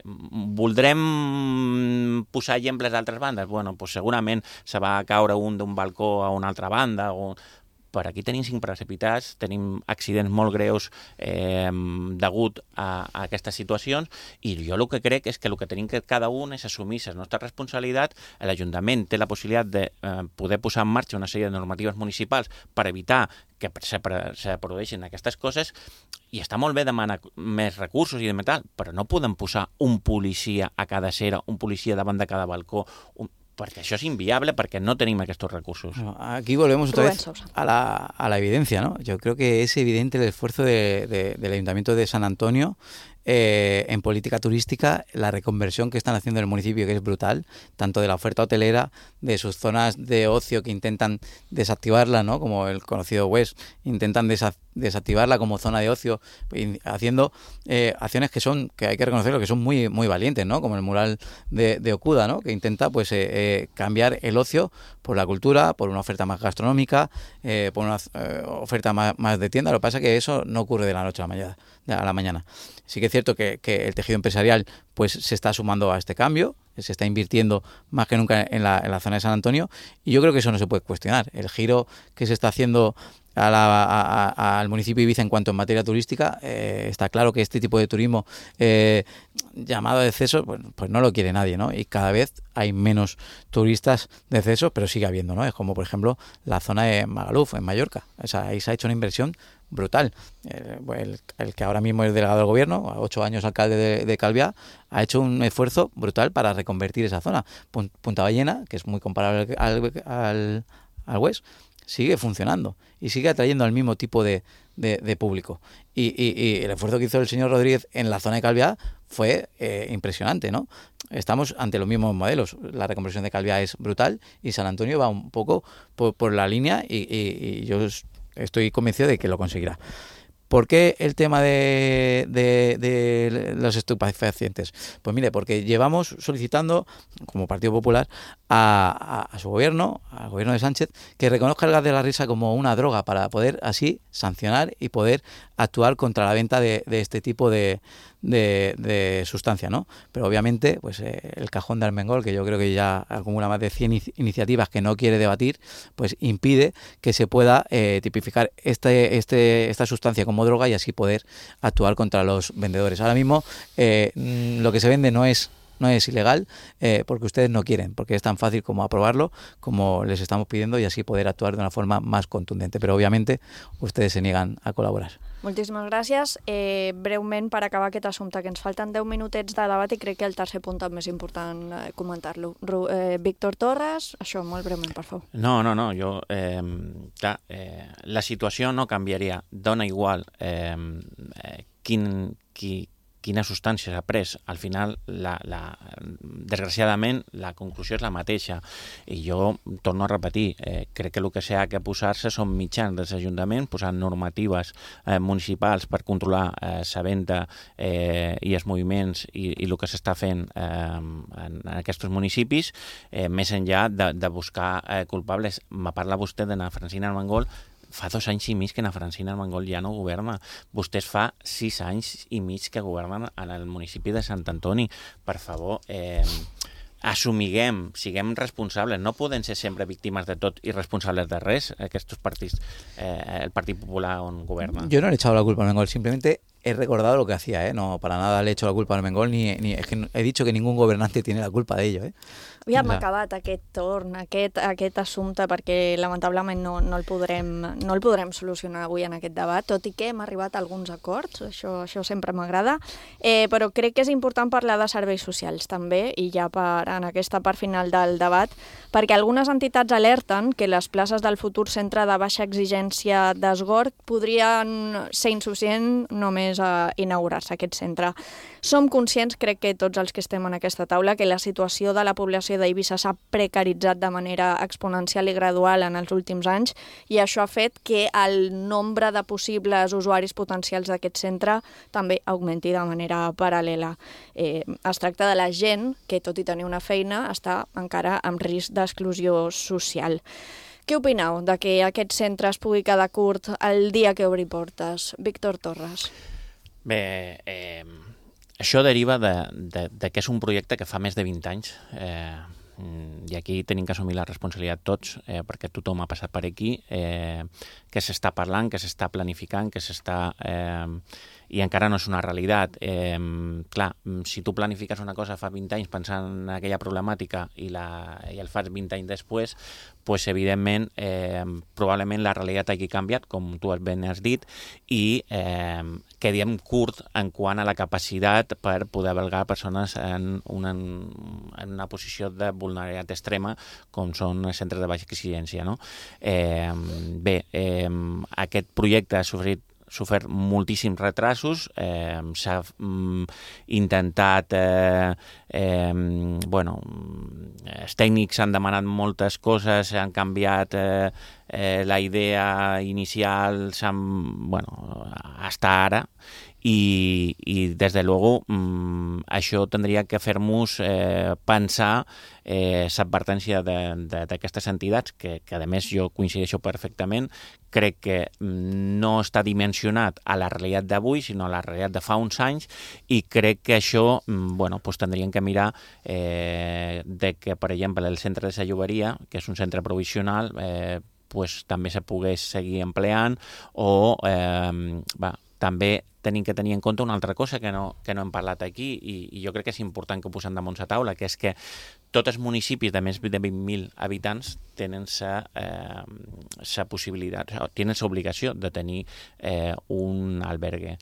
Voldrem posar exemples d'altres bandes? Bueno, doncs segurament se va caure un d'un balcó a una altra banda o... Per aquí tenim 5 precipitats, tenim accidents molt greus degut a aquestes situacions i jo el que crec és que el que tenim que cada un és assumir la nostra responsabilitat. L'Ajuntament té la possibilitat de poder posar en marxa una sèrie de normatives municipals per evitar que se produeixin aquestes coses i està molt bé demanar més recursos i de tal, però no podem posar un policia a cada acera, un policia davant de cada balcó, porque eso es inviable, porque no tenemos estos recursos.
Bueno, aquí volvemos otra vez a la evidencia, ¿no? Yo creo que es evidente el esfuerzo del Ayuntamiento de San Antonio en política turística la reconversión que están haciendo en el municipio, que es brutal, tanto de la oferta hotelera, de sus zonas de ocio que intentan desactivarla, ¿no? Como el conocido West, intentan desactivarla como zona de ocio, haciendo acciones que hay que reconocerlo, que son muy, muy valientes, ¿no? Como el mural de Okuda, ¿no? Que intenta pues cambiar el ocio por la cultura, por una oferta más gastronómica, por una oferta más de tienda. Lo que pasa es que eso no ocurre de la noche a la mañana. Sí que es cierto que el tejido empresarial pues se está sumando a este cambio, se está invirtiendo más que nunca en la zona de San Antonio, y yo creo que eso no se puede cuestionar. El giro que se está haciendo al municipio de Ibiza en cuanto en materia turística, está claro que este tipo de turismo llamado de exceso, pues no lo quiere nadie, ¿no? Y cada vez hay menos turistas de exceso, pero sigue habiendo, ¿no? Es como, por ejemplo, la zona de Magaluf, en Mallorca. O sea, ahí se ha hecho una inversión brutal. El que ahora mismo es delegado del gobierno, a 8 años alcalde de Calviá, ha hecho un esfuerzo brutal para reconvertir esa zona. Punta Ballena, que es muy comparable al West, sigue funcionando y sigue atrayendo al mismo tipo de público. Y el esfuerzo que hizo el señor Rodríguez en la zona de Calviá fue impresionante, ¿no? Estamos ante los mismos modelos. La reconversión de Calviá es brutal y San Antonio va un poco por la línea y yo estoy convencido de que lo conseguirá. ¿Por qué el tema de los estupefacientes? Pues mire, porque llevamos solicitando, como Partido Popular, a su gobierno, al gobierno de Sánchez, que reconozca el gas de la risa como una droga para poder así sancionar y poder actuar contra la venta de este tipo de sustancia, ¿no? Pero obviamente, pues el cajón de Armengol, que yo creo que ya acumula más de 100 iniciativas que no quiere debatir, pues impide que se pueda tipificar esta sustancia como droga y así poder actuar contra los vendedores. Ahora mismo lo que se vende no es ilegal porque ustedes no quieren, porque es tan fácil como aprobarlo, como les estamos pidiendo, y así poder actuar de una forma más contundente. Però, òbviamente, ustedes se niegan a col·laborar.
Moltíssimes gràcies. Breument, per acabar aquest assumpte, que ens falten 10 minutets de debat i crec que el tercer punt també és important comentar-lo. Víctor Torres, això, molt breument, per favor.
No, jo... clar, la situació no canviaria. Dona igual quina substància s'ha pres. Al final, desgraciadament, la conclusió és la mateixa. I jo torno a repetir, crec que el que s'ha de posar-se són mitjans dels ajuntaments, posant normatives municipals per controlar la venda i els moviments i el que s'està fent en aquests municipis, més enllà de buscar culpables. Me parla vostè de na Francina Armengol. Fa 2 anys i mig que na Francina Armengol ja no governa. Vostès fa 6 anys i mig que governen en el municipi de Sant Antoni. Per favor, assumiguem, siguem responsables. No podem ser sempre víctimes de tot i responsables de res, aquests partits, el Partit Popular on governa.
Yo no le he echado la culpa a Armengol, simplemente he recordado lo que hacía, no para nada le he hecho la culpa a Armengol, ni es que he dicho que ningún gobernante tiene la culpa de ello.
Ja hem acabat aquest torn, aquest assumpte, perquè lamentablement no el podrem solucionar avui en aquest debat, tot i que hem arribat a alguns acords, això sempre m'agrada, però crec que és important parlar de serveis socials també, i ja en aquesta part final del debat, perquè algunes entitats alerten que les places del futur centre de baixa exigència d'Esgorg podrien ser insuficients només a inaugurar-se aquest centre. Som conscients, crec que tots els que estem en aquesta taula, que la situació de la població d'Eivissa s'ha precaritzat de manera exponencial i gradual en els últims anys, i això ha fet que el nombre de possibles usuaris potencials d'aquest centre també augmenti de manera paral·lela. Es tracta de la gent que, tot i tenir una feina, està encara en risc d'exclusió social. Què opineu de que aquest centre es pugui quedar curt el dia que obri portes? Víctor Torres.
Bé, això deriva de que és un projecte que fa més de 20 anys i aquí tenim que assumir la responsabilitat tots, perquè tothom ha passat per aquí, que s'està parlant, que s'està planificant, que s'està... i encara no és una realitat. Clar, si tu planifiques una cosa fa 20 anys pensant en aquella problemàtica i el fas 20 anys després, pues, evidentment, probablement la realitat hagi canviat, com tu ben has dit, i quedem curt en quant a la capacitat per poder albergar persones en una posició de vulnerabilitat extrema, com són els centres de baixa exigència. No? Bé, aquest projecte ha sofrit sofert moltíssims retrasos, s'ha intentat, els tècnics han demanat moltes coses, s'han canviat la idea inicial, hasta ara, i des de luego això tindria que fer-nos pensar l'advertència d'aquestes entitats, que a més jo coincideixo perfectament, crec que no està dimensionat a la realitat d'avui, sinó a la realitat de fa uns anys, i crec que això tindríem que mirar de que, per exemple, el centre de la Lloberia, que és un centre provisional, també se pogués seguir empleant, o també tenim que tenir en compte una altra cosa que no hem parlat aquí, i jo crec que és important que ho posem damunt la taula, que és que tots els municipis de més de 20.000 habitants tenen la possibilitat, tenen l'obligació de tenir un albergue.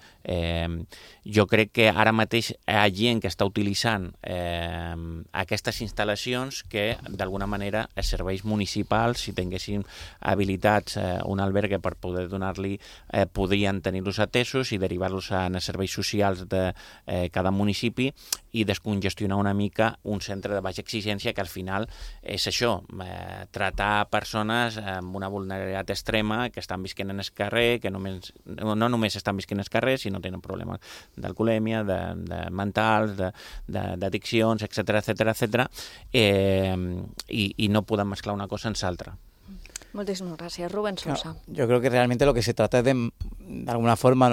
Jo crec que ara mateix hi ha gent que està utilitzant aquestes instal·lacions que d'alguna manera els serveis municipals, si tinguessin habilitats un albergue per poder donar-li, podrien tenir-los atesos i derivar-los a serveis socials de cada municipi i descongestionar una mica un centre de baixa exigència, que al final és això, tratar persones amb una vulnerabilitat extrema que estan visquent en el carrer, que no només estan visquent en el carrer, sinó tenen problemes d'alcoholèmia, de mentals, d'addiccions, etc. I no podem mesclar una cosa amb l'altra.
Muchísimas gracias, Rubén Sosa.
Yo creo que realmente lo que se trata es de alguna forma,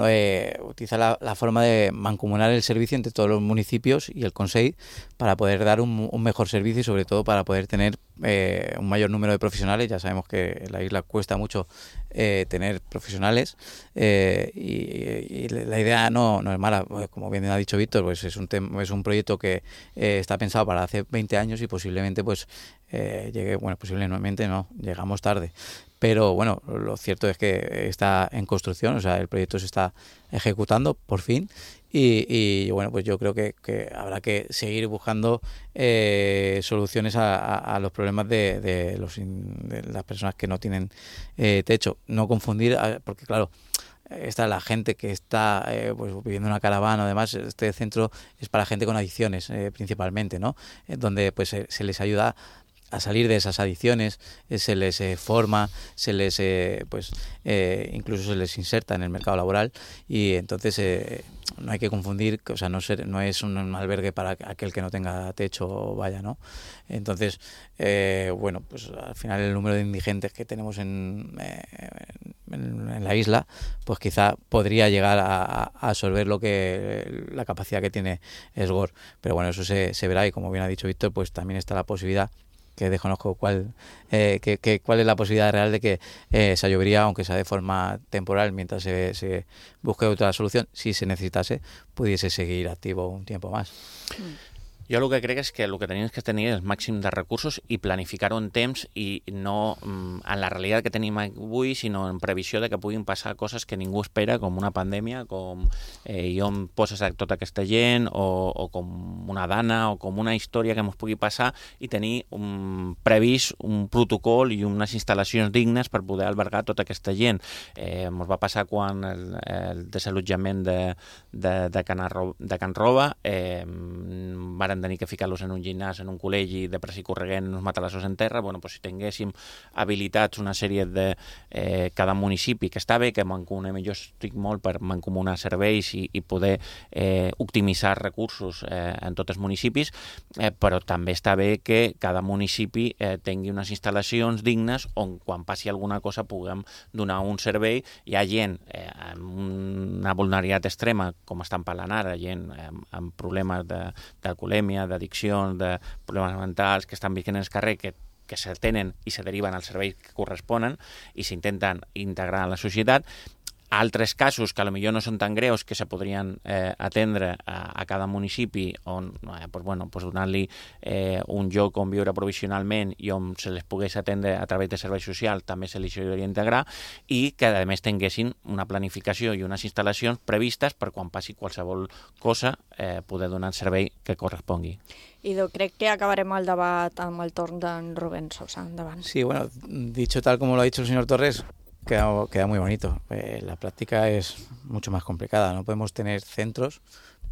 utilizar la forma de mancomunar el servicio entre todos los municipios y el Consell para poder dar un mejor servicio y sobre todo para poder tener un mayor número de profesionales. Ya sabemos que en la isla cuesta mucho tener profesionales y la idea no es mala. Como bien ha dicho Víctor, pues es un proyecto que está pensado para hace 20 años y posiblemente posiblemente no, llegamos tarde. Pero bueno, lo cierto es que está en construcción, o sea, el proyecto se está ejecutando por fin y bueno, pues yo creo que habrá que seguir buscando soluciones a los problemas de las personas que no tienen techo. No confundir, porque claro, está la gente que está viviendo en una caravana, además este centro es para gente con adicciones principalmente, ¿no? Donde pues se les ayuda a salir de esas adicciones, se les forma, se les incluso se les inserta en el mercado laboral y entonces no hay que confundir, o sea, no es un albergue para aquel que no tenga techo, ¿no? Entonces, pues al final el número de indigentes que tenemos en la isla, pues quizá podría llegar a absorber la capacidad que tiene SGOR, pero bueno, eso se verá y como bien ha dicho Víctor, pues también está la posibilidad, que desconozco cuál es la posibilidad real de que esa llovería, aunque sea de forma temporal, mientras se busque otra solución, si se necesitase, pudiese seguir activo un tiempo más.
Jo el que crec és que el que tenim que tenir el màxim de recursos i planificar-ho en temps i no en la realitat que tenim avui, sinó en previsió de que puguin passar coses que ningú espera, com una pandèmia, com on poses a tota aquesta gent, o com una dana, o com una història que ens pugui passar, i tenir previst un protocol i unes instal·lacions dignes per poder albergar tota aquesta gent. Ens va passar quan el desallotjament de Can Roba, varen tenir que ficar-los en un gimnàs, en un col·legi, de pressa i corregent, uns matalassos en terra. Si tinguéssim habilitats una sèrie de cada municipi, que està bé que mancomunem, jo estic molt per mancomunar serveis i poder optimitzar recursos en tots els municipis, però també està bé que cada municipi tingui unes instal·lacions dignes on quan passi alguna cosa puguem donar un servei. Hi ha gent amb una vulnerabilitat extrema, com estan parlant ara, gent amb problemes d'alcoholèmia, d'addiccions, de problemes mentals, que estan vivint en el carrer, que se tenen i se deriven als serveis que corresponen i s'intenten integrar en la societat. Altres casos que potser no són tan greus, que se podrien atendre a cada municipi, on donar-li un lloc on viure provisionalment i on se les pogués atendre a través de serveis socials, també se li hauria d'integrar, i que a més tinguessin una planificació i unes instal·lacions previstes per quan passi qualsevol cosa poder donar el servei que correspongui.
Idò, crec que acabarem el debat amb el torn d'en Rubén Sosa. Endavant.
Sí, bueno, dicho tal como lo ha dicho el señor Torres, queda muy bonito. La práctica es mucho más complicada. No podemos tener centros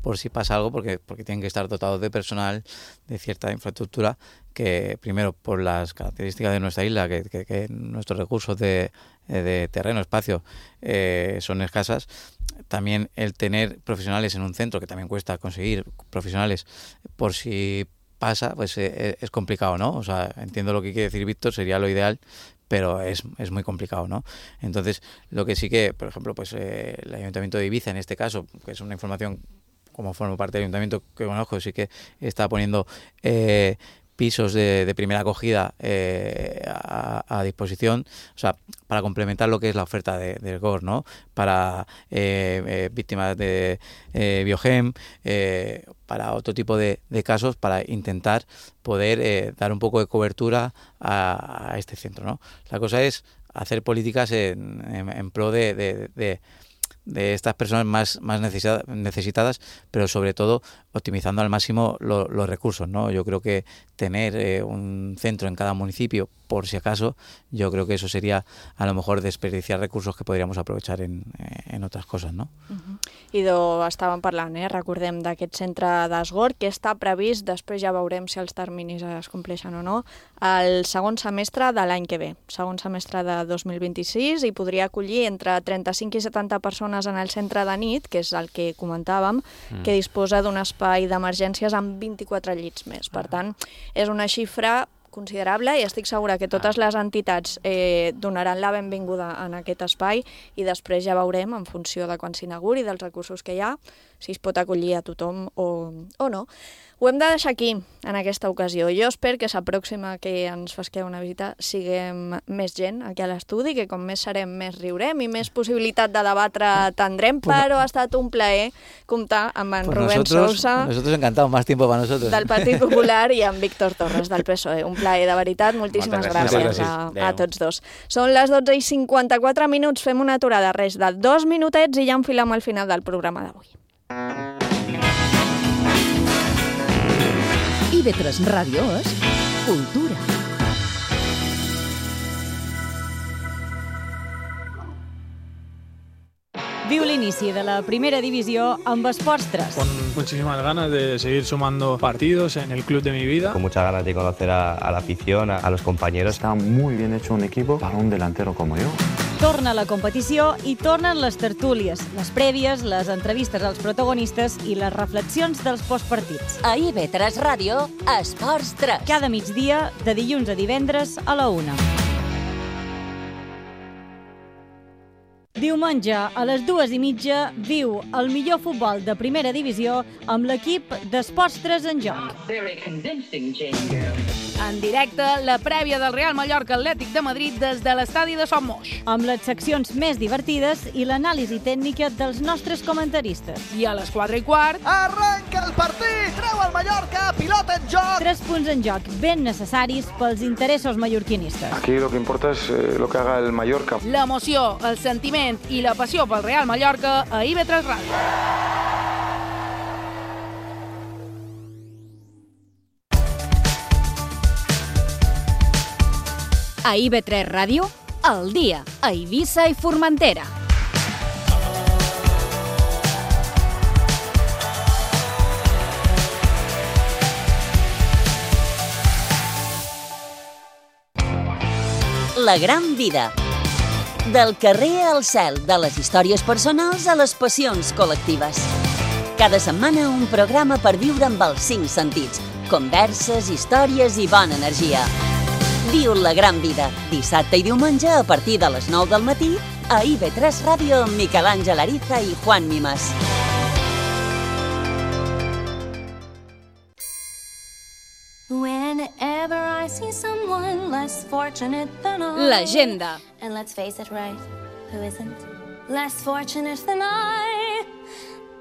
por si pasa algo, porque tienen que estar dotados de personal, de cierta infraestructura, que primero por las características de nuestra isla, que nuestros recursos de terreno, espacio, son escasas. También el tener profesionales en un centro, que también cuesta conseguir profesionales por si pasa, pues es complicado, ¿no? O sea, entiendo lo que quiere decir Víctor, sería lo ideal, pero es muy complicado, ¿no? Entonces, lo que sí que, por ejemplo, pues el Ayuntamiento de Ibiza, en este caso, que es una información como formo parte del Ayuntamiento que conozco, sí que está poniendo pisos de primera acogida a disposición, o sea, para complementar lo que es la oferta del GOR, ¿no? Para víctimas de Biogem, para otro tipo de casos, para intentar poder dar un poco de cobertura a este centro, ¿no? La cosa es hacer políticas en pro de estas personas más necesitadas, pero sobre todo optimizando al máximo los recursos, ¿no? Yo creo que tener un centro en cada municipio, por si acaso, yo creo que eso sería a lo mejor desperdiciar recursos que podríamos aprovechar en otras cosas, no?
I estàvem parlant, recordem d'aquest centre d'Asgor, que està previst, després ja veurem si els terminis es compleixen o no, el segon semestre de l'any que ve, segon semestre de 2026, i podria acollir entre 35 i 70 persones en el centre de nit, que és el que comentàvem, que disposa d'un espai d'emergències amb 24 llits més. Per tant, és una xifra considerable i estic segura que totes les entitats donaran la benvinguda en aquest espai i després ja veurem, en funció de quan s'inauguri, dels recursos que hi ha, si es pot acollir a tothom o no. Ho hem de deixar aquí, en aquesta ocasió. Jo espero que s'apròxima que ens fasqueu una visita siguem més gent aquí a l'estudi, que com més serem, més riurem i més possibilitat de debatre tindrem, però ha estat un plaer comptar amb en Rubén Sousa,
nosotros encantado, más tiempo para nosotros,
del Partit Popular, i amb Víctor Torres, del PSOE. Un plaer, de veritat. Moltíssimes gràcies a tots dos. Són les 12:54, fem una aturada, res de 2 minutets i ja enfilem al final del programa d'avui.
IB3 Ràdio és cultura. Viu l'inici de la primera divisió amb Esports 3.
Con muchísimas ganas de seguir sumando partidos en el club de mi vida.
Con muchas ganas de conocer a la afición, a los compañeros.
Está muy bien hecho un equipo para un delantero como yo.
Torna la competició i tornen les tertúlies, les prèvies, les entrevistes als protagonistes i les reflexions dels postpartits.
A IB3 Ràdio, Esports 3.
Cada migdia, de dilluns a divendres a la 1. Diumenge, a les 2:30, viu el millor futbol de primera divisió amb l'equip d'Esports 3 en joc.
En directe, la prèvia del Real Mallorca Atlètic de Madrid des de l'estadi de Son Moix.
Amb les seccions més divertides i l'anàlisi tècnica dels nostres comentaristes.
I a les 4:15...
Arranca el partit! Treu el Mallorca, pilota en joc!
3 punts en joc ben necessaris pels interessos mallorquinistes.
Aquí lo que importa es lo que haga el Mallorca.
L'emoció, el sentiment i la passió pel Real Mallorca a IB3 Ràdio.
A IB3 Ràdio, al dia, a Eivissa i Formentera.
La gran vida. Del carrer al cel, de les històries personals a les passions col·lectives. Cada setmana un programa per viure amb els 5 sentits. Converses, històries i bona energia. Viu la gran vida, dissabte i diumenge a partir de les 9 del matí a IB3 Ràdio amb Miquel Àngel Ariza i Juan Mimas.
Whenever I see someone less fortunate than I,
L'agenda.
And let's face it, right, who isn't less fortunate than I?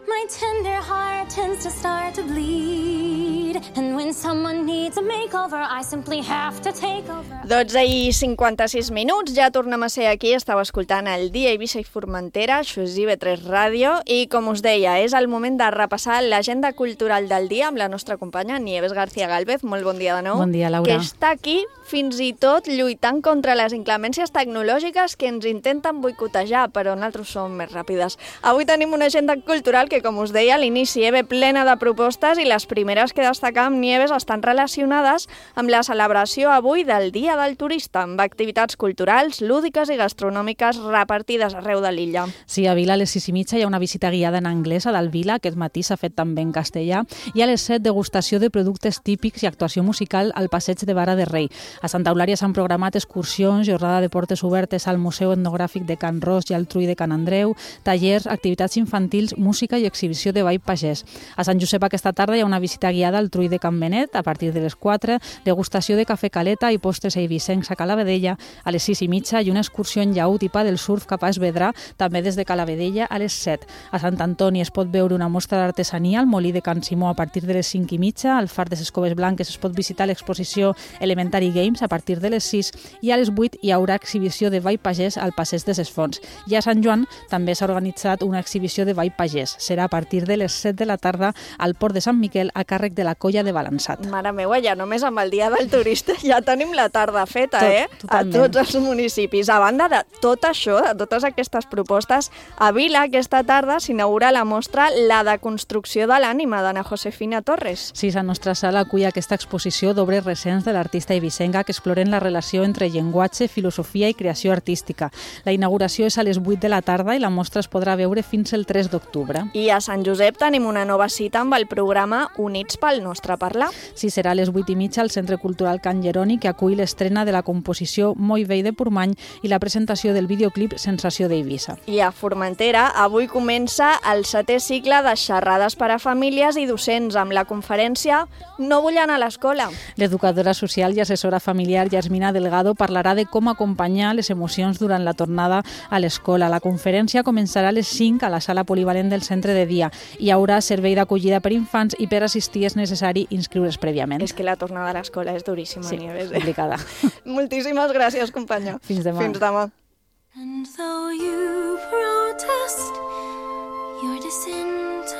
My tender heart tends to start to bleed. need. And when someone needs a makeover, I simply have to take over.
12:56, ja tornem a ser aquí, estàu escoltant el Dia Eivissa i Formentera, això és IB3 Ràdio, i com us deia, és el moment de repassar l'agenda cultural del dia amb la nostra companya Nieves García Gálvez. Molt bon dia de nou.
Bon dia, Laura.
Que està aquí fins i tot lluitant contra les inclemències tecnològiques que ens intenten boicotejar, però nosaltres som més ràpides. Avui tenim una agenda cultural que, com us deia, a l'inici ve plena de propostes i les primeres que destacam, Nieves, estan relacionades amb la celebració avui del Dia del Turista, amb activitats culturals, lúdiques i gastronòmiques repartides arreu de l'illa.
Sí, a Vila a les 6:30 hi ha una visita guiada en anglès a Dalvila, aquest matí s'ha fet també en castellà, i a les 7 degustació de productes típics i actuació musical al passeig de Vara de Rei. A Santa Eulària s'han programat excursions, jornada de portes obertes al Museu Etnogràfic de Can Ros i al Trull de Can Andreu, tallers, activitats infantils, música i exhibició de ball pagès. A Sant Josep aquesta tarda hi ha una visita guiada al Trull de Can Benet a partir de les 4, degustació de cafè caleta i postres eivissencs a Calavedella a les 6:30 i una excursió en llaüt i pa del surf cap a Esvedrà, també des de Calavedella a les 7. A Sant Antoni es pot veure una mostra d'artesania al Molí de Can Simó a partir de les 5:30, al Far de les Coves Blanques es pot visitar l'exposició Elementary Games a partir de les 6 i a les 8 hi haurà exhibició de ball pagès al Passeig de ses Fonts. I a Sant Joan també s'ha organitzat una exhibició de ball pagès. Serà a partir de les 7 de la tarda al Port de Sant Miquel a càrrec de la Colla de Balançat.
Mare meva, ja només amb el Dia del Turista ja tenim la tarda feta,
Totalment.
A tots els municipis. A banda de tot això, de totes aquestes propostes, a Vila aquesta tarda s'inaugura la mostra La deconstrucció de l'ànima d'Anna Josefina Torres.
Sí, la nostra sala acull aquesta exposició d'obres recents de l'artista eivissenca que exploren la relació entre llenguatge, filosofia i creació artística. La inauguració és a les 8 de la tarda i la mostra es podrà veure fins el 3 d'octubre.
I a Sant Josep tenim una nova cita amb el programa Units pel nostre parlar.
Sí, serà a les 8:30 al Centre Cultural Can Jeroni, que acull l'estrena de la composició Moi vell de Portmany i la presentació del videoclip Sensació d'Eivissa.
I a Formentera avui comença el 7è cicle de xerrades per a famílies i docents amb la conferència No vull anar a l'escola.
L'educadora social i assessora familiar Yasmina Delgado parlarà de com acompanyar les emocions durant la tornada a l'escola. La conferència començarà a les 5 a la sala polivalent del centre de dia. Hi haurà servei d'acollida per infants i per assistir és necessari inscriure's prèviament.
És que la tornada a l'escola és duríssima,
sí,
Nieves.
complicada.
Moltíssimes gràcies, companya.
Fins demà.
Fins demà.
And though you protest your disinterest,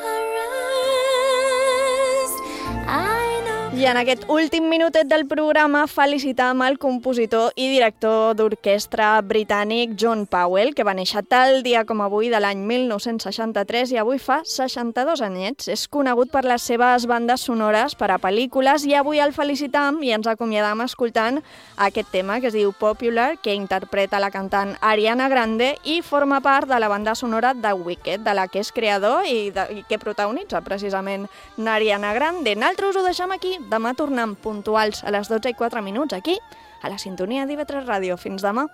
I know.
I en aquest últim minutet del programa felicitam el compositor i director d'orquestra britànic John Powell, que va néixer tal dia com avui de l'any 1963 i avui fa 62 anyets. És conegut per les seves bandes sonores per a pel·lícules i avui el felicitam i ens acomiadam escoltant aquest tema que es diu Popular, que interpreta la cantant Ariana Grande i forma part de la banda sonora de Wicked, de la que és creador i que protagonitza precisament Ariana Grande. Nosaltres ho deixem aquí. Demà tornem puntuals a les 12:04 aquí, a la sintonia d'IV3 Ràdio. Fins demà.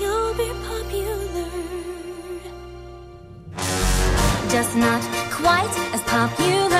You'll be popular, just not quite as popular